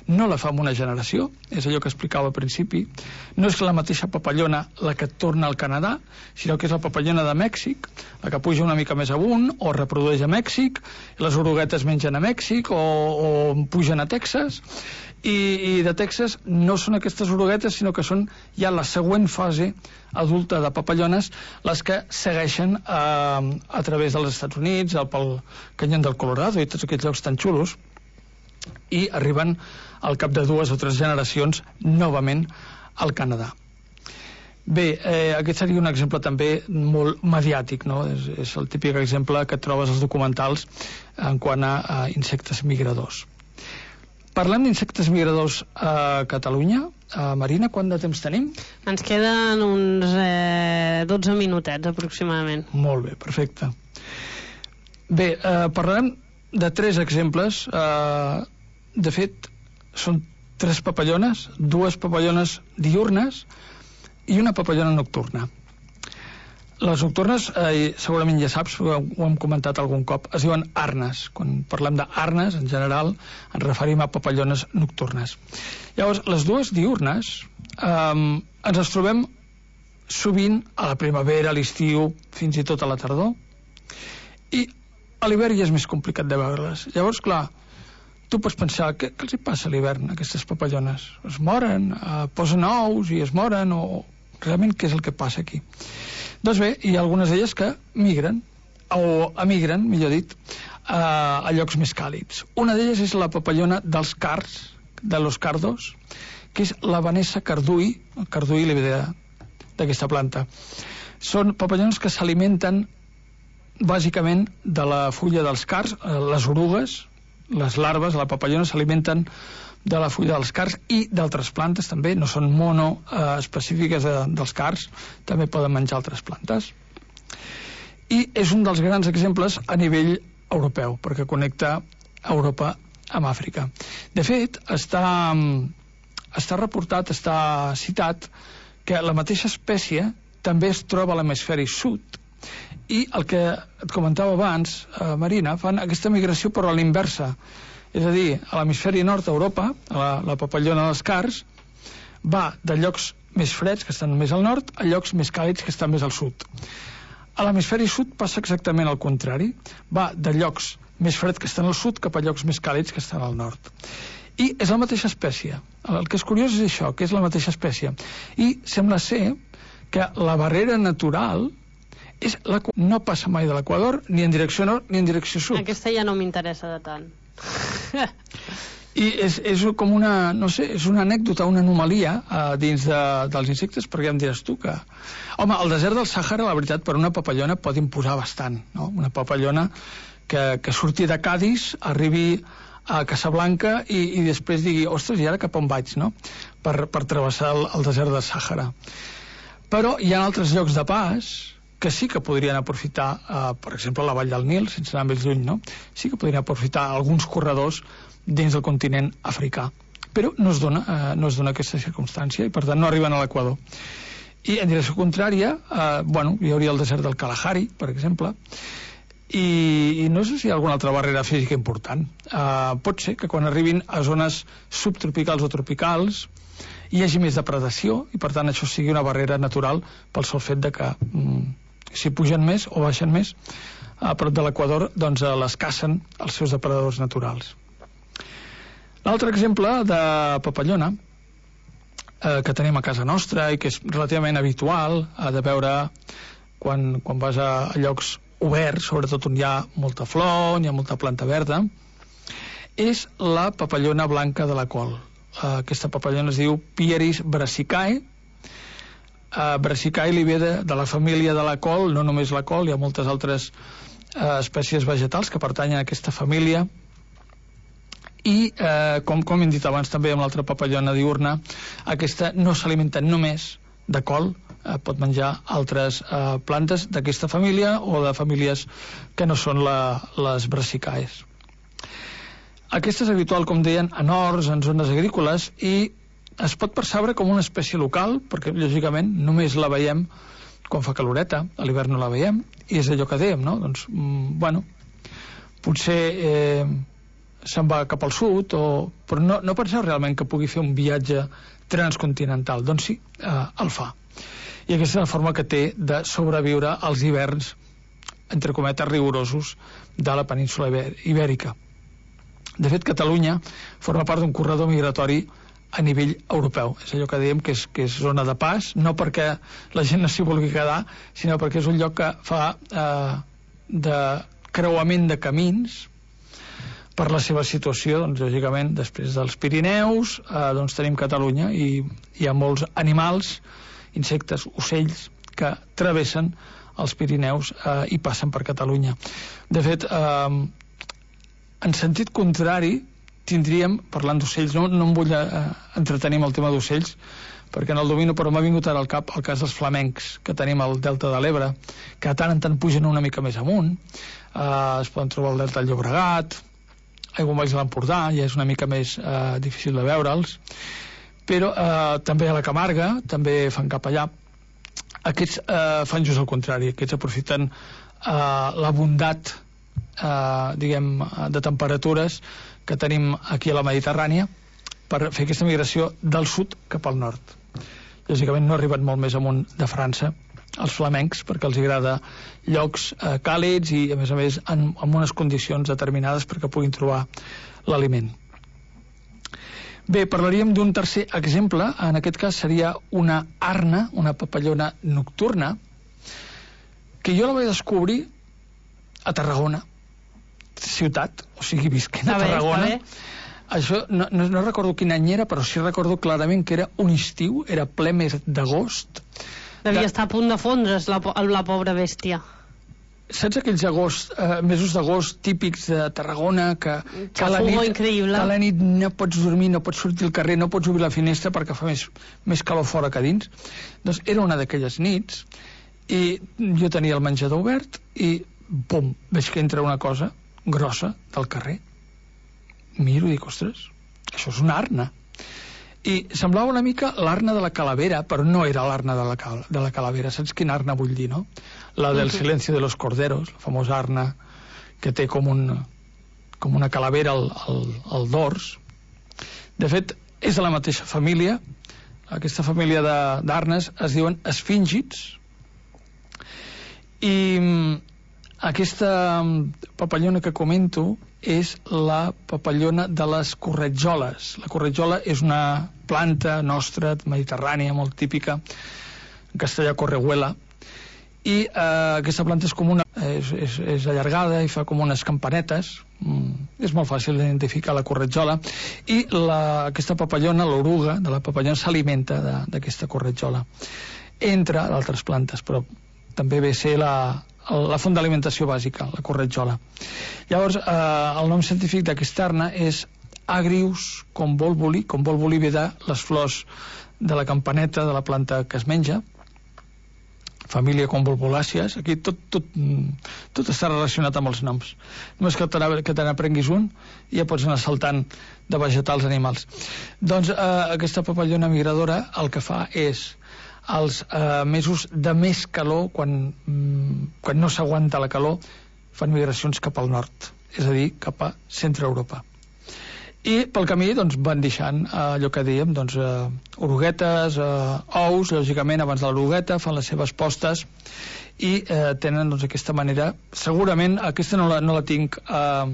no la fa en una generació, és allò que explicava al principi. No és la mateixa papallona la que torna al Canadà, sinó que és la papallona de Mèxic, la que puja una mica més amunt, o reprodueix a Mèxic, les oruguetes mengen a Mèxic, o, o pugen a Texas, i, i de Texas no són aquestes oruguetes, sinó que són ja la següent fase adulta de papallones, les que segueixen eh, a través dels Estats Units, pel canyón del Colorado i tots aquests llocs tan xulos, i arriben al cap de dues o tres generacions novament al Canadà. Bé, eh, aquest seria un exemple també molt mediàtic, no? És, és el típic exemple que trobes als documentals en quant a, a insectes migradors. Parlem d'insectes migradors a Catalunya. A Marina, quant de temps tenim? Ens queden uns eh, dotze minutets aproximadament. Molt bé, perfecte. Bé, eh, parlarem de tres exemples. Eh, de fet, són tres papallones, dues papallones diürnes i una papallona nocturna. Les nocturnes, eh, segurament ja saps, ho hem comentat algun cop, es diuen arnes. Quan parlem d'arnes, en general, ens referim a papallones nocturnes. Llavors, les dues diürnes eh, ens les trobem sovint a la primavera, a l'estiu, fins i tot a la tardor, i a l'hivern ja és més complicat de veure-les. Llavors, clar, tu pots pensar, què, què els hi passa a l'hivern, a aquestes papallones? Es moren, eh, posen ous i es moren, o realment què és el que passa aquí? Doncs bé, hi ha algunes d'elles que migren, o emigren, millor dit, a, a llocs més càlids. Una d'elles és la papallona dels cards, de los cardos, que és la Vanessa cardui, el cardui li ve d'aquesta planta. Són papallones que s'alimenten bàsicament de la fulla dels cards, les orugues, les larves, la papallona s'alimenten de la fulla dels cards i d'altres plantes també, no són mono eh, específiques de, dels cards, també poden menjar altres plantes. I és un dels grans exemples a nivell europeu, perquè connecta Europa amb Àfrica. De fet, està, està reportat, està citat, que la mateixa espècie també es troba a l'hemisferi sud, i el que et comentava abans, eh, Marina, fan aquesta migració però a l'inversa. És a dir, a l'hemisferi nord d'Europa, la, la papallona dels cards, va de llocs més freds, que estan més al nord, a llocs més càlids, que estan més al sud. A l'hemisferi sud passa exactament al contrari. Va de llocs més freds, que estan al sud, cap a llocs més càlids, que estan al nord. I és la mateixa espècie. El que és curiós és això, que és la mateixa espècie. I sembla ser que la barrera natural és la... no passa mai de l'equador, ni en direcció nord, ni en direcció sud. Aquesta ja no m'interessa de tant. I és, és com una, no sé, és una anècdota, una anomalia eh, dins de, dels insectes, perquè em diràs tu que... Home, el desert del Sàhara, la veritat, per una papallona pot imposar bastant, no? Una papallona que, que surti de Cadis, arribi a Casablanca i, i després digui, ostres, i ara cap on vaig, no? Per, per travessar el, el desert del Sàhara. Però hi ha altres llocs de pas que sí que podrien aprofitar, eh, per exemple, la vall del Nil, sense anar més lluny, no? Sí que podrien aprofitar alguns corredors dins del continent africà. Però no es dona, eh, no es dona aquesta circumstància i, per tant, no arriben a l'equador. I, en direcció contrària, eh, bueno, hi hauria el desert del Kalahari, per exemple, i, i no sé si hi ha alguna altra barrera física important. Eh, pot ser que quan arribin a zones subtropicals o tropicals hi hagi més depredació i, per tant, això sigui una barrera natural pel sol fet de que mm, si pugen més o baixen més a prop de l'equador, doncs eh, les cacen els seus depredadors naturals. L'altre exemple de papallona eh, que tenim a casa nostra i que és relativament habitual eh, de veure quan, quan vas a, a llocs oberts, sobretot on hi ha molta flor, on hi ha molta planta verda, és la papallona blanca de la col. Eh, aquesta papallona es diu Pieris brassicae. Uh, brassicae li ve de, de la família de la col, no només la col, hi ha moltes altres eh, espècies vegetals que pertanyen a aquesta família, i eh, com, com hem dit abans també amb l'altra papallona diurna, aquesta no s'alimenta només de col, eh, pot menjar altres eh, plantes d'aquesta família o de famílies que no són la, les brassicaes. Aquesta és habitual, com deien, en horts, en zones agrícoles, i es pot percebre com una espècie local, perquè lògicament només la veiem quan fa caloreta, a l'hivern no la veiem, i és allò que dèiem, no? Doncs, mm, bueno, potser eh, se'n va cap al sud, o... però no, no penseu realment que pugui fer un viatge transcontinental. Doncs sí, eh, el fa. I aquesta és la forma que té de sobreviure als hiverns, entre cometes, rigorosos de la península ibèrica. De fet, Catalunya forma part d'un corredor migratori a nivell europeu. És allò que dèiem que és, que és zona de pas, no perquè la gent no s'hi vulgui quedar, sinó perquè és un lloc que fa eh, de creuament de camins per la seva situació. Doncs, lògicament, després dels Pirineus, eh, doncs tenim Catalunya, i hi ha molts animals, insectes, ocells, que travessen els Pirineus eh, i passen per Catalunya. De fet, eh, en sentit contrari, tindríem, parlant d'ocells, no, no em vull eh, entretenir amb el tema d'ocells, perquè no el domino, però m'ha vingut ara al cap el cas dels flamencs que tenim al Delta de l'Ebre, que de tant en tant pugen una mica més amunt, eh, es poden trobar al Delta del Llobregat, Aiguamolls de l'Empordà, ja és una mica més eh, difícil de veure'ls, però eh, també a la Camarga, també fan cap allà. Aquests eh, fan just el contrari, aquests aprofiten eh, la bondat eh, diguem, de temperatures que tenim aquí a la Mediterrània per fer aquesta migració del sud cap al nord. Lògicament no arriben molt més amunt de França els flamencs, perquè els agrada llocs eh, càlids i a més a més en, en unes condicions determinades perquè puguin trobar l'aliment. Bé, parlaríem d'un tercer exemple. En aquest cas seria una arna, una papallona nocturna, que jo la vaig descobrir a Tarragona ciutat, o sigui, visquent a Tarragona. Això, no, no, no recordo quin any era, però sí recordo clarament que era un estiu, era ple mes d'agost. Devia de... estar a punt de fondre's la, la pobra bèstia. Saps aquells agost, eh, mesos d'agost típics de Tarragona, que, que, a la nit, increïble. que a la nit no pots dormir, no pots sortir al carrer, no pots obrir la finestra perquè fa més, més calor fora que dins? Doncs era una d'aquelles nits, i jo tenia el menjador obert, i pum, veig que entra una cosa grossa del carrer. Miro i dic, ostres, això és una arna. I semblava una mica l'arna de la Calavera, però no era l'arna de, la, de la Calavera. Saps quina arna vull dir, no? La del Silencio de los Corderos, la famosa arna que té com, un, com una calavera al, al, al dors. De fet, és de la mateixa família. Aquesta família d'arnes es diuen esfíngids. I aquesta papallona que comento és la papallona de les corretjoles. La corretjola és una planta nostra, mediterrània, molt típica, en castellà correhuela, i eh, aquesta planta és com una, és, és, és allargada i fa com unes campanetes. Mm, és molt fàcil d'identificar la corretjola, i la, aquesta papallona, l'oruga de la papallona, s'alimenta d'aquesta corretjola, entre d'altres plantes, però també ve a ser la la font d'alimentació bàsica, la corretjola. Llavors, eh, el nom científic d'aquesta arna és Agrius convolvuli. Convolvuli ve de les flors de la campaneta de la planta que es menja, família convolvulàcies. Aquí tot, tot, tot està relacionat amb els noms. Només que te n'aprenguis un i ja pots anar saltant de vegetals a animals. Doncs eh, aquesta papallona migradora el que fa és als eh, mesos de més calor, quan, mm, quan no s'aguanta la calor, fan migracions cap al nord, és a dir, cap a centre Europa. I pel camí doncs, van deixant eh, allò que dèiem, doncs, eh, oruguetes, eh, ous, lògicament abans de l'orugueta, fan les seves postes i eh, tenen doncs, aquesta manera. Segurament aquesta no la, no la tinc eh,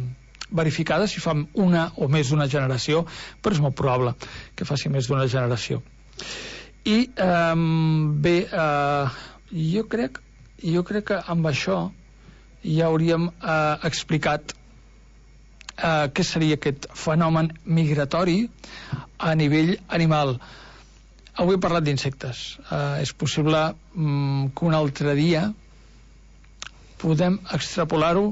verificada si fa una o més d'una generació, però és molt probable que faci més d'una generació. I eh, bé, eh, jo crec jo crec que amb això ja hauríem eh, explicat eh, què seria aquest fenomen migratori a nivell animal. Avui he parlat d'insectes. Eh, és possible mm, que un altre dia podem extrapolar-ho,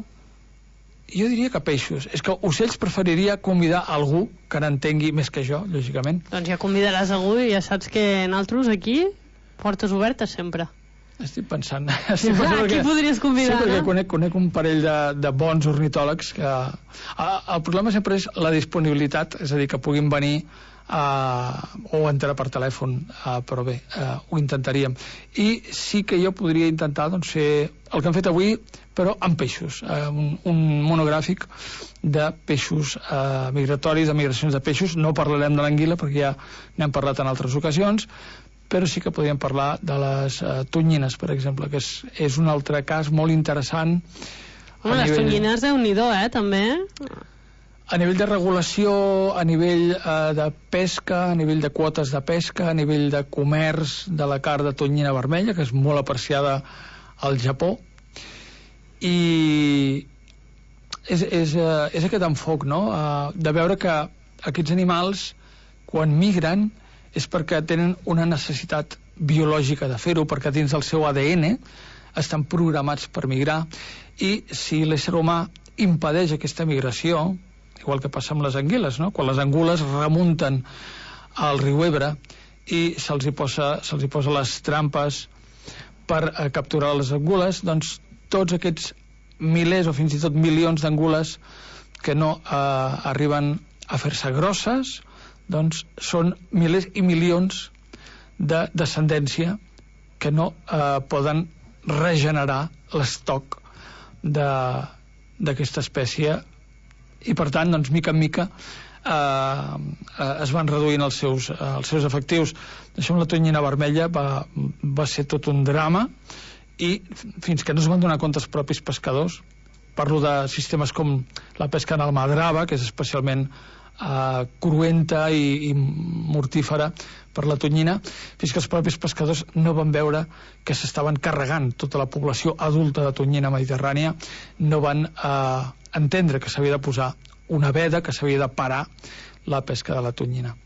jo diria que peixos. És que ocells preferiria convidar algú que n'entengui més que jo, lògicament. Doncs ja convidaràs algú i ja saps que nosaltres aquí, portes obertes sempre. Estic pensant. Estic pensant ah, perquè, qui podries convidar, sí, perquè no? conec, conec un parell de, de bons ornitòlegs que... El problema sempre és la disponibilitat, és a dir, que puguin venir uh, o entrar per telèfon, uh, però bé, uh, ho intentaríem. I sí que jo podria intentar doncs, fer el que hem fet avui, però amb peixos, uh, un, un monogràfic de peixos uh, migratoris, de migracions de peixos. No parlarem de l'anguila perquè ja n'hem parlat en altres ocasions, però sí que podríem parlar de les uh, tonyines, per exemple, que és, és un altre cas molt interessant. Bueno, les nivell... tonyines, déu-n'hi-do, eh, també. A nivell de regulació, a nivell uh, de pesca, a nivell de quotes de pesca, a nivell de comerç de la carn de tonyina vermella, que és molt apreciada al Japó. I és, és, uh, és aquest enfoc, no?, uh, de veure que aquests animals, quan migren, és perquè tenen una necessitat biològica de fer-ho, perquè dins del seu A D N estan programats per migrar, i si l'ésser humà impedeix aquesta migració, igual que passa amb les anguiles, no?, quan les angules remunten al riu Ebre i se'ls hi posa, se'ls hi posa les trampes per eh, capturar les angules, doncs tots aquests milers o fins i tot milions d'angules que no eh, arriben a fer-se grosses, doncs són milers i milions de descendència que no eh, poden regenerar l'estoc d'aquesta espècie, i per tant, doncs, mica en mica eh, eh, es van reduint els seus, eh, els seus efectius. Això amb la tonyina vermella va, va ser tot un drama, i fins que no es van donar compte els propis pescadors, parlo de sistemes com la pesca en almadrava, que és especialment Uh, cruenta i, i mortífera per la tonyina, fins que els propis pescadors no van veure que s'estaven carregant tota la població adulta de tonyina mediterrània, no van uh, entendre que s'havia de posar una veda, que s'havia de parar la pesca de la tonyina.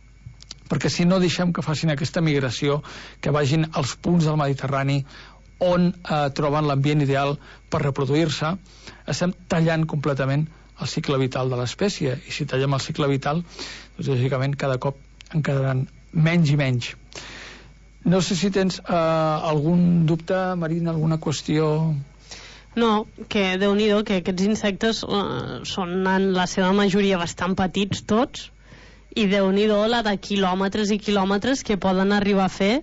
Perquè si no deixem que facin aquesta migració, que vagin als punts del Mediterrani on uh, troben l'ambient ideal per reproduir-se, estem tallant completament el cicle vital de l'espècie, i si tallem el cicle vital, doncs lògicament cada cop en quedaran menys i menys. No sé si tens eh, algun dubte, Marina, alguna qüestió... No, que déu-n'hi-do, que aquests insectes eh, són en la seva majoria bastant petits tots, i déu-n'hi-do la de quilòmetres i quilòmetres que poden arribar a fer,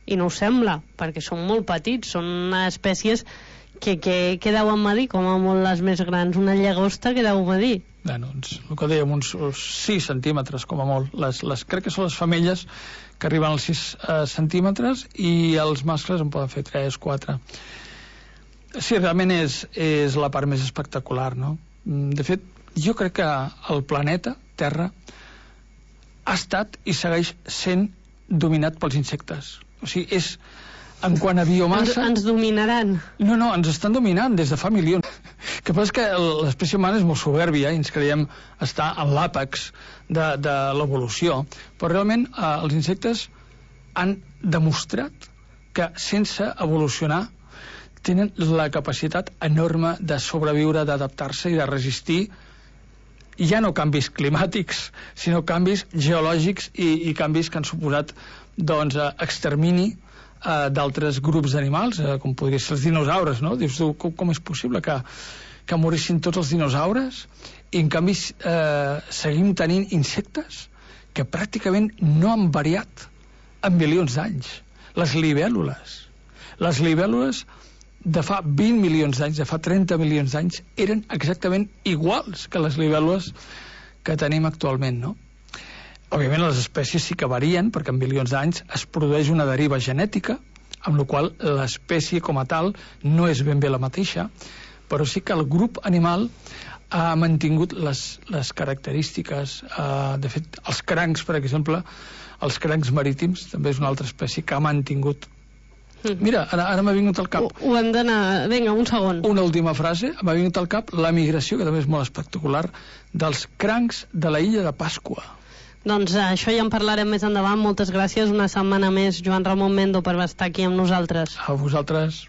i no ho sembla, perquè són molt petits, són espècies que, que, que deuen medir, com a molt les més grans, una llagosta que deu medir. Bueno, doncs, el que dèiem, uns sis centímetres com a molt. Les, les, crec que són les femelles que arriben als sis eh, centímetres, i els mascles en poden fer tres, quatre. Sí, realment és, és la part més espectacular, no? De fet, jo crec que el planeta Terra ha estat i segueix sent dominat pels insectes. O sigui, és... En quant a biomassa... Ens, ens dominaran. No, no, ens estan dominant des de fa milions. El que passa és que l'espècie humana és molt soberbia i ens creiem estar en l'àpex de, de l'evolució. Però realment eh, els insectes han demostrat que sense evolucionar tenen la capacitat enorme de sobreviure, d'adaptar-se i de resistir ja no canvis climàtics, sinó canvis geològics i, i canvis que han suposat doncs, extermini Uh, d'altres grups d'animals, uh, com podria ser els dinosaures, no? Dius tu, com, com és possible que, que morissin tots els dinosaures i en canvi uh, seguim tenint insectes que pràcticament no han variat en milions d'anys. Les libèl·lules. Les libèl·lules de fa vint milions d'anys, de fa trenta milions d'anys, eren exactament iguals que les libèl·lules que tenim actualment, no? Òbviament les espècies sí que varien, perquè en milions d'anys es produeix una deriva genètica, amb la qual l'espècie com a tal no és ben bé la mateixa, però sí que el grup animal ha mantingut les, les característiques. Uh, de fet, els crancs, per exemple, els crancs marítims, també és una altra espècie que ha mantingut. Mira, ara, ara m'ha vingut al cap... Ho, ho hem d'anar... Vinga, un segon. Una última frase. M'ha vingut al cap la migració, que també és molt espectacular, dels crancs de la illa de Pasqua. Doncs això ja en parlarem més endavant. Moltes gràcies. Una setmana més, Joan Ramon Mendo, per estar aquí amb nosaltres. A vosaltres.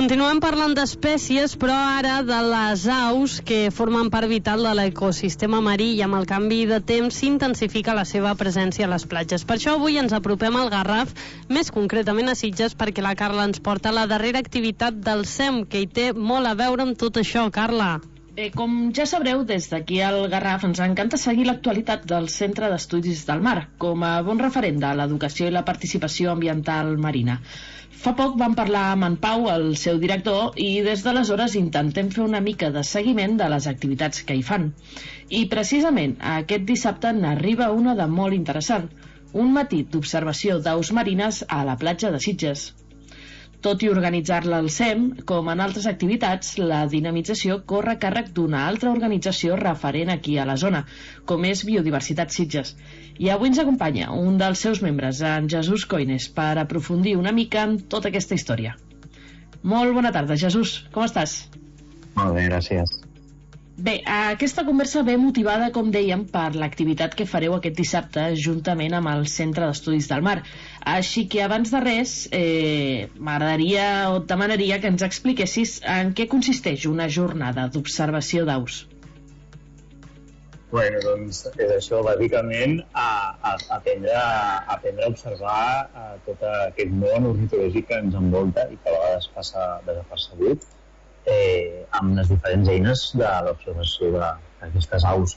Continuem parlant d'espècies, però ara de les aus que formen part vital de l'ecosistema marí i amb el canvi de temps s'intensifica la seva presència a les platges. Per això avui ens apropem al Garraf, més concretament a Sitges, perquè la Carla ens porta la darrera activitat del S E M, que hi té molt a veure amb tot això. Carla. Bé, com ja sabreu, des d'aquí al Garraf ens encanta seguir l'actualitat del Centre d'Estudis del Mar, com a bon referent de l'educació i la participació ambiental marina. Fa poc vam parlar amb en Pau, el seu director, i des d'aleshores intentem fer una mica de seguiment de les activitats que hi fan. I precisament aquest dissabte n'arriba una de molt interessant, un matí d'observació d'aus marines a la platja de Sitges. Tot i organitzar-la al S E M, com en altres activitats, la dinamització corre a càrrec d'una altra organització referent aquí a la zona, com és Biodiversitat Sitges. I avui ens acompanya un dels seus membres, en Jesús Coines, per aprofundir una mica en tota aquesta història. Molt bona tarda, Jesús. Com estàs? Molt bé, gràcies. Bé, aquesta conversa ve motivada, com dèiem, per l'activitat que fareu aquest dissabte juntament amb el Centre d'Estudis del Mar. Així que, abans de res, eh, m'agradaria o et demanaria que ens expliquessis en què consisteix una jornada d'observació d'aus. Bueno, doncs és això, bàsicament, a, a, aprendre, a aprendre a observar a tot aquest món ornitològic que ens envolta i que a vegades passa desapercebut, eh, amb les diferents eines de l'observació d'aquestes aus.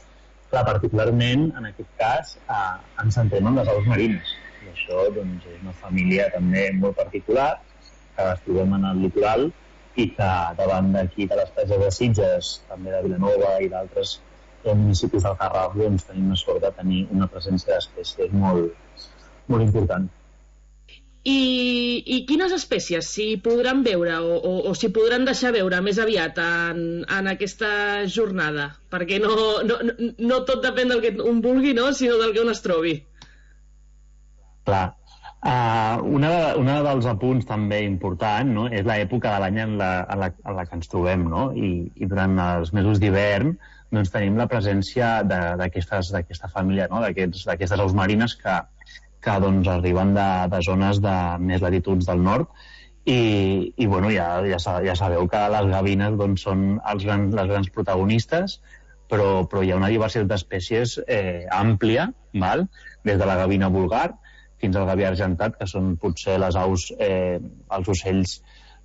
Clar, particularment, en aquest cas, eh, ens centrem en les aus marines. I això doncs, és una família també molt particular, que les trobem en el litoral i que davant d'aquí de les platges de Sitges, també de Vilanova i d'altres municipis del Garraf, doncs, tenim la sort de tenir una presència d'espècies molt, molt important. I, i quines espècies s'hi podran veure o, o, o s'hi podran deixar veure més aviat en, en aquesta jornada? Perquè no, no, no tot depèn del que un vulgui, no? Sinó del que un es trobi. Clar. Uh, una, una dels apunts també important, no? És l'època de l'any en, la, en, la, en la que ens trobem, no? I, i durant els mesos d'hivern doncs tenim la presència d'aquesta família, no? d'aquestes aus marines que, que doncs, arriben de, de zones de més latituds del nord i, i bueno, ja, ja, ja sabeu que les gavines doncs, són els grans, les grans protagonistes, però, però hi ha una diversitat d'espècies eh, àmplia, val? Des de la gavina vulgar fins al gavià argentat, que són potser les aus, eh, els ocells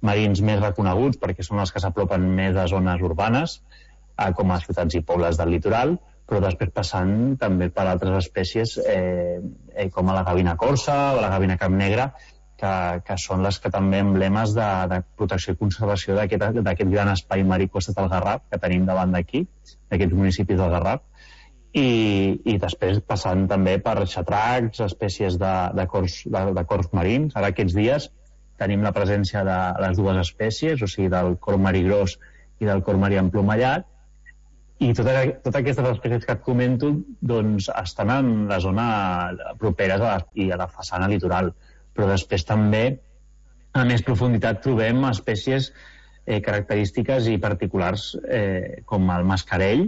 marins més reconeguts perquè són els que s'apropen més a zones urbanes, com a ciutats i pobles del litoral, però després passant també per altres espècies eh, eh, com a la gavina corsa o la gavina cap negra, que, que són les que també emblemes de, de protecció i conservació d'aquest gran espai marí costat del Garraf que tenim davant d'aquí, d'aquests municipis del Garraf, i, i després passant també per xatracs, espècies de, de, cors, de, de cors marins. Ara aquests dies tenim la presència de les dues espècies, o sigui del cor marí gros i del cor marí emplomallat, i totes tota aquestes espècies que et comento doncs, estan en la zona properes a la, i a la façana litoral, però després també a més profunditat trobem espècies eh, característiques i particulars eh, com el mascarell,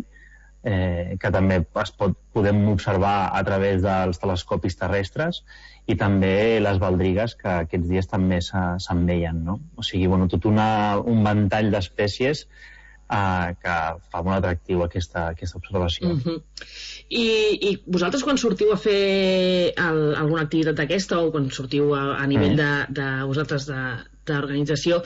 eh, que també es pot, podem observar a través dels telescopis terrestres, i també les baldrigues, que aquests dies també se'n veien, no? O sigui, bueno, tot una, un ventall d'espècies Uh, que fa molt atractiu aquesta, aquesta observació. Uh-huh. I, I vosaltres quan sortiu a fer el, alguna activitat d'aquesta o quan sortiu a, a nivell mm. de, de vosaltres d'organització,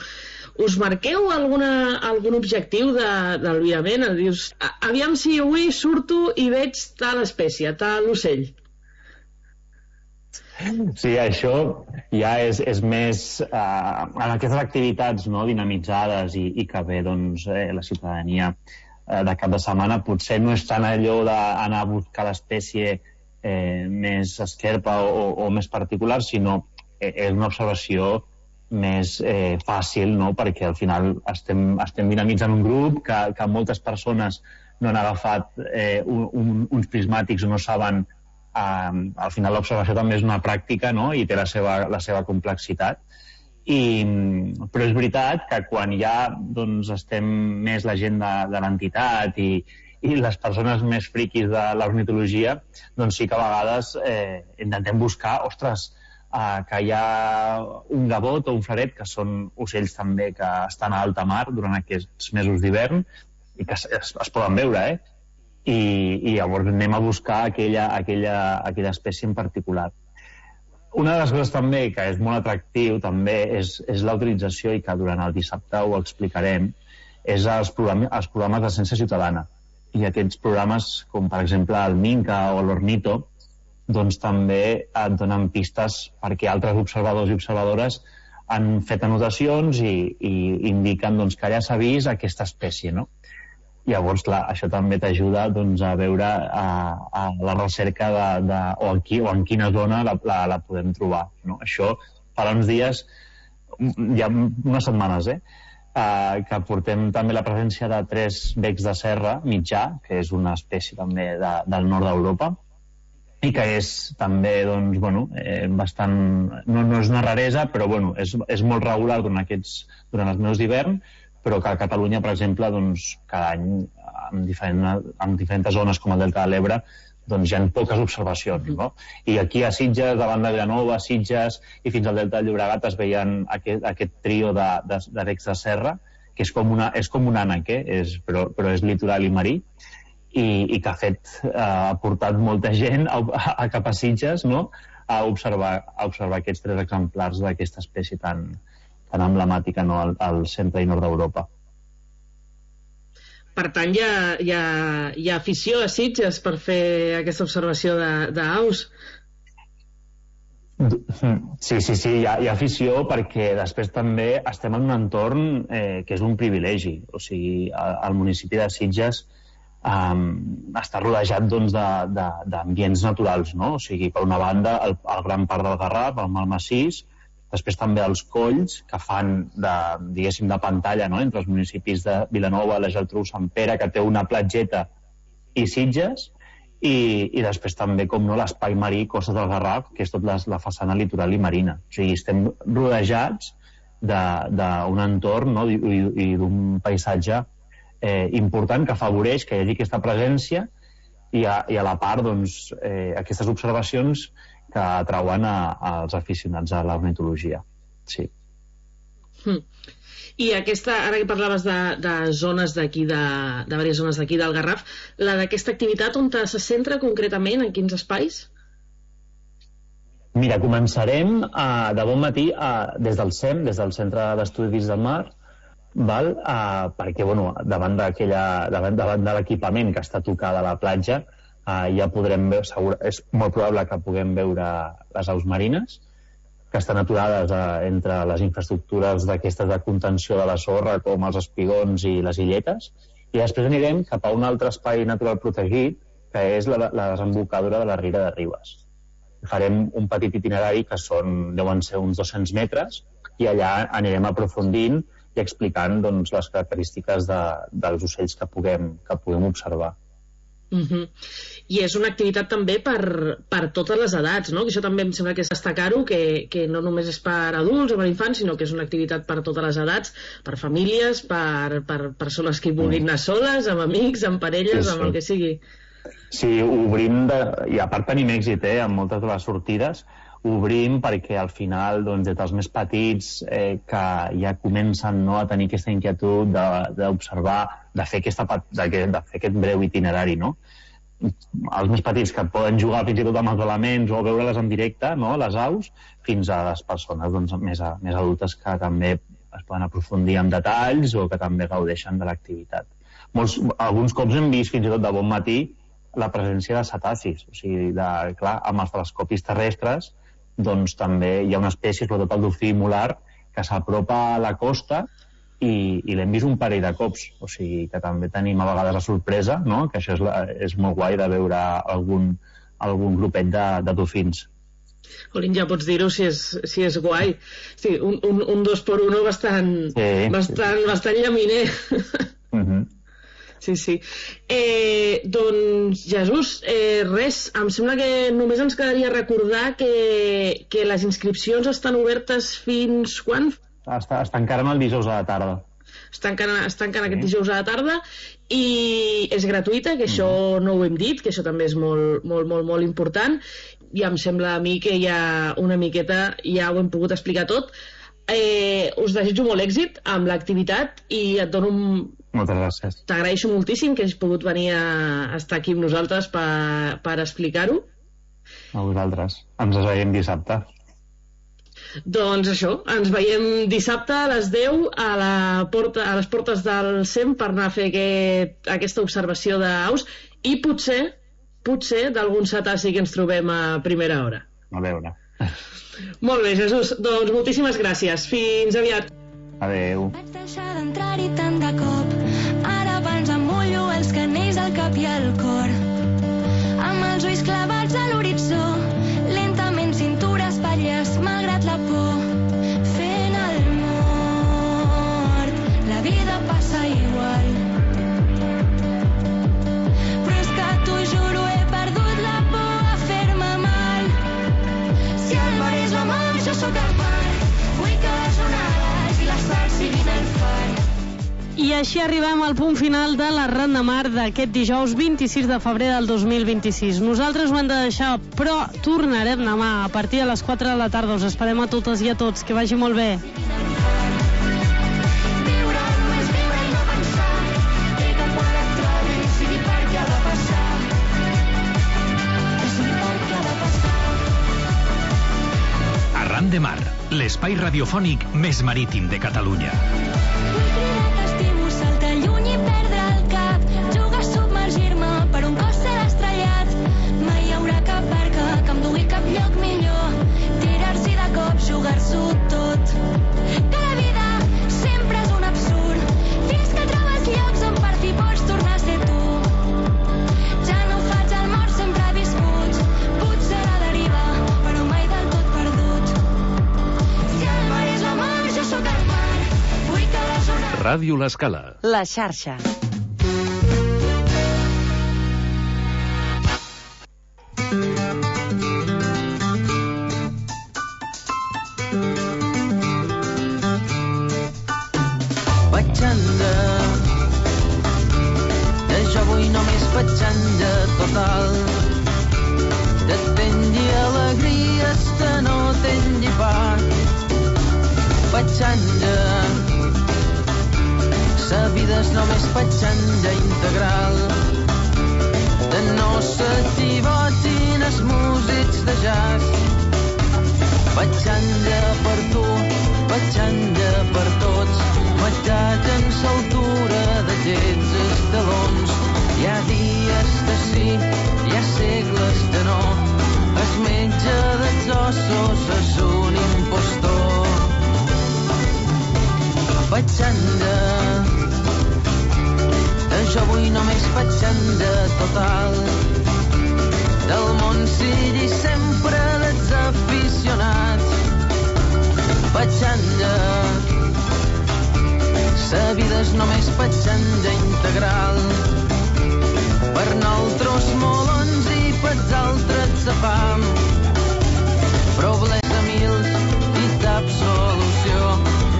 us marqueu alguna, algun objectiu d'albirament? Dius, aviam si avui surto i veig tal espècie, tal ocell. Sí, això ja és, és més eh, en aquestes activitats no, dinamitzades i, i que ve doncs, eh, la ciutadania eh, de cap de setmana potser no és tant allò d'anar a buscar l'espècie eh, més esquerpa o, o més particular, sinó eh, és una observació més eh, fàcil, no? Perquè al final estem, estem dinamitzant un grup que, que moltes persones no han agafat eh, un, un, uns prismàtics o no saben. Uh, al final l'observació també és una pràctica, no? I té la seva, la seva complexitat, I, però és veritat que quan ja doncs, estem més la gent de, de l'entitat i, i les persones més friquis de l'ornitologia, doncs sí que a vegades eh, intentem buscar, ostres, uh, que hi ha un gavot o un flaret, que són ocells també que estan a alta mar durant aquests mesos d'hivern i que es, es, es poden veure, eh? I, i llavors anem a buscar aquella, aquella, aquella espècie en particular. Una de les coses també que és molt atractiu també és, és la utilització, i que durant el dissabte ho explicarem, és els programes, els programes de ciència ciutadana. I aquests programes, com per exemple el Minca o l'Ornito, doncs també et donen pistes perquè altres observadors i observadores han fet anotacions i, i indiquen doncs, que allà s'ha vist aquesta espècie, no? Llavors, clar, això també t'ajuda doncs, a veure a, a la recerca de, de, o, en qui, o en quina zona la, la, la podem trobar, no? Això fa uns dies, ja unes setmanes, eh? Uh, que portem també la presència de tres becs de serra mitjà, que és una espècie també de, del nord d'Europa, i que és també, doncs, bueno, eh, bastant... No, no és una raresa, però bueno, és, és molt regular durant, aquests, durant els mesos d'hivern, però que a Catalunya, per exemple, doncs, cada any, en, diferent, en diferents zones com el Delta de l'Ebre, doncs hi ha poques observacions, no? I aquí a Sitges, davant de Vilanova, Sitges i fins al Delta del Llobregat es veien aquest, aquest trio de, de, de becs de serra, que és com, una, és com un ànec, eh? és, però, però és litoral i marí, i, i que ha fet, eh, ha portat molta gent a, a, a cap a Sitges, no? a, observar, a observar aquests tres exemplars d'aquesta espècie tan, tan emblemàtica, no? al, al centre i nord d'Europa. Per tant, hi ha, hi, ha, hi ha afició a Sitges per fer aquesta observació d'aus? Sí, sí, sí, hi ha, hi ha afició perquè després també estem en un entorn eh, que és un privilegi. O sigui, el municipi de Sitges um, està rodejat doncs, d'ambients naturals, no? O sigui, per una banda, el, el gran parc del Garraf, el Malmassís, després també els colls que fan de, diguéssim, de pantalla, no? Entre els municipis de Vilanova, la Geltrú, Sant Pere, que té una platgeta, i Sitges, i, i després també, com no, l'espai marí Costes del Garraf, que és tot la, la façana litoral i marina. O sigui, estem rodejats d'un entorn, no? i, i, i d'un paisatge eh, important que afavoreix que hi hagi aquesta presència i a, i a la part, doncs, eh, aquestes observacions que atrauen als aficionats a l'ornitologia. Sí. Mm. I aquesta, ara que parlaves de, de zones d'aquí, de, de diverses zones d'aquí del Garraf, la d'aquesta activitat on se centra concretament, en quins espais? Mira, començarem uh, de bon matí uh, des del C E M, des del Centre d'Estudis del Mar, val? Uh, perquè bueno, davant, davant, davant de l'equipament que està tocat a la platja, Uh, ja podrem veure, segur, és molt probable que puguem veure les aus marines que estan aturades uh, entre les infraestructures d'aquestes de contenció de la sorra com els espigons i les illetes, i després anirem cap a un altre espai natural protegit que és la, la desembocadura de la Riera de Ribes. Farem un petit itinerari que són, deuen ser uns dos-cents metres, i allà anirem aprofundint i explicant doncs, les característiques de, dels ocells que puguem, que puguem observar. Uh-huh. I és una activitat també per, per totes les edats, no? Que això també em sembla que és destacar-ho, que, que no només és per adults o per infants, sinó que és una activitat per totes les edats, per famílies, per, per persones que vulguin anar soles, amb amics, amb parelles, sí, sí. amb el que sigui. Sí, obrim, de, i a part tenim èxit eh, en moltes de les sortides, obrim perquè al final, doncs, des dels més petits eh, que ja comencen, no, a tenir aquesta inquietud d'observar, de, de, fer aquesta, de, de fer aquest breu itinerari, no? Els més petits que poden jugar fins i tot amb els elements o veure-les en directe, no, les aus, fins a les persones doncs, més, a, més adultes que també es poden aprofundir en detalls o que també gaudeixen de l'activitat. Molts, alguns cops hem vist fins i tot de bon matí la presència de cetacis, o sigui, de, clar, amb els telescopis terrestres doncs també hi ha una espècie, sobretot el dofí molar, que s'apropa a la costa i, i l'hem vist un parell de cops, o sigui que també tenim a vegades la sorpresa, no? Que això és, la, és molt guai de veure algun, algun grupet de, de dofins. Colin, ja pots dir-ho si, és, si és guai. Sí, un, un, un dos per uno bastant, sí. bastant, bastant llaminer. Uh-huh. Sí, sí. Eh, doncs, Jesús, eh, res, em sembla que només ens quedaria recordar que, que les inscripcions estan obertes fins quan? Es tancaran el dijous a la tarda. es tanquen, es tanquen aquest dijous a la tarda, i és gratuïta, que això no ho hem dit, que això també és molt, molt, molt, molt important, i em sembla a mi que ja una miqueta ja ho hem pogut explicar tot. Eh, us desitjo molt èxit amb l'activitat i et dono un... Moltes gràcies. T'agraeixo moltíssim que hagis pogut venir a estar aquí amb nosaltres per, per explicar-ho. A vosaltres. Ens veiem dissabte. Doncs això, ens veiem dissabte a les deu a, la porta, a les portes del C E M per anar a fer aquest, aquesta observació d'aus i potser, potser d'algun cetaci que ens trobem a primera hora. A veure. Molt bé, Jesús. Doncs moltíssimes gràcies. Fins aviat. Adéu. Vaig deixar d'entrar-hi tant de cop. Ara abans em mullo els canells al cap i al cor. Amb els ulls clavats a l'horitzó, lentament cintura espatlles, malgrat la por. Fent el mort, la vida passa igual. Però és que t'ho juro, he perdut la por a fer-me mal. Si el mar és la mar, jo sóc el mar. Vull que les onades i l'asfalt siguin el far. I així arribem al punt final de la Ronda Mar d'aquest dijous vint-i-sis de febrer del dos mil vint-i-sis. Nosaltres ho hem de deixar, però tornarem demà a partir de les quatre de la tarda. Us esperem a totes i a tots. Que vagi molt bé. Arran de Mar, l'espai radiofònic més marítim de Catalunya. Vull cridar que estimo, saltar lluny i perdre el cap. Jugar a submergir-me per un cos ser estrellat. Mai hi haurà cap barca que em dugui cap lloc millor. Tirar-s'hi de cop, jugar-s'ho tot. Que la vida sempre és un absurd. Fins que trobes llocs on per fi pots tornar a ser tu. Ja no faig el mort, sempre viscut. Potser a la deriva, però mai del tot perdut. Si el mar és la mar, jo sóc el mar. Vull que les onades... Ràdio L'Escala. La xarxa. Petxanda, que jo vull només petxanda total. Que tingui alegries, que no tingui part. Petxanda, sa vida és només petxanda integral. Que no s'equivoquin els músics de jazz. Petxanda per tu, petxanda per tots. Matat en s'altura de gens escalons. Hi ha dies de sí, hi ha segles de no. Es menja dels ossos, és un impostor. Petxanda, que jo vull només petxanda total. Del món sigui sempre desaficionat. Petxanda, sa vida és només petxanda integral. Per nosaltres molons i pels altres sa fam. Problemes a mils i cap solució.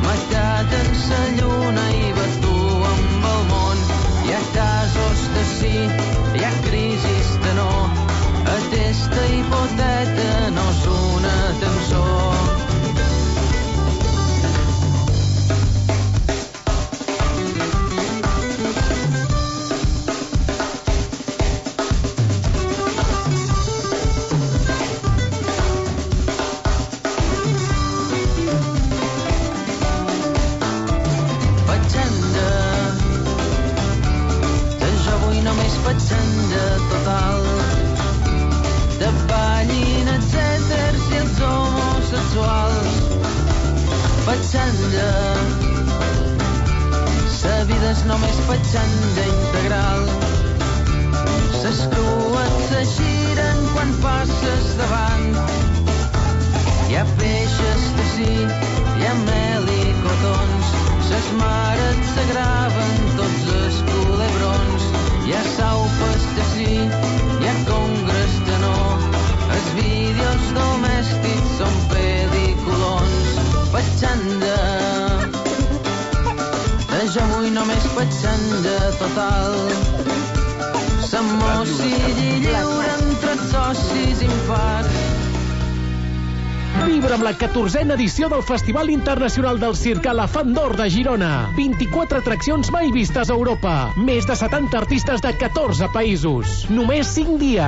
Matat en sa lluna i batu amb el món. Hi ha casos de sí, hi ha crisis de no. Aquesta hipoteta no és una cançó. Petxanda total. De ballin els èters i els homosexuals. Petxanda, sa vida és només petxanda integral. Ses crues se giren quan passes davant. Hi ha peixes de sí, hi ha mel i cotons. Ses mares se graven tots els culebrons. Hi ha saupes de sí, hi ha congres de no. Els vídeos domèstics són pel·lículons. Petxanda, que jo total. S'emmossilli lliure entre socis infarts. Vibra amb la catorzena edició del Festival Internacional del Circ Elefant d'Or de Girona. vint-i-quatre atraccions mai vistes a Europa. Més de setanta artistes de catorze països. Només cinc dies.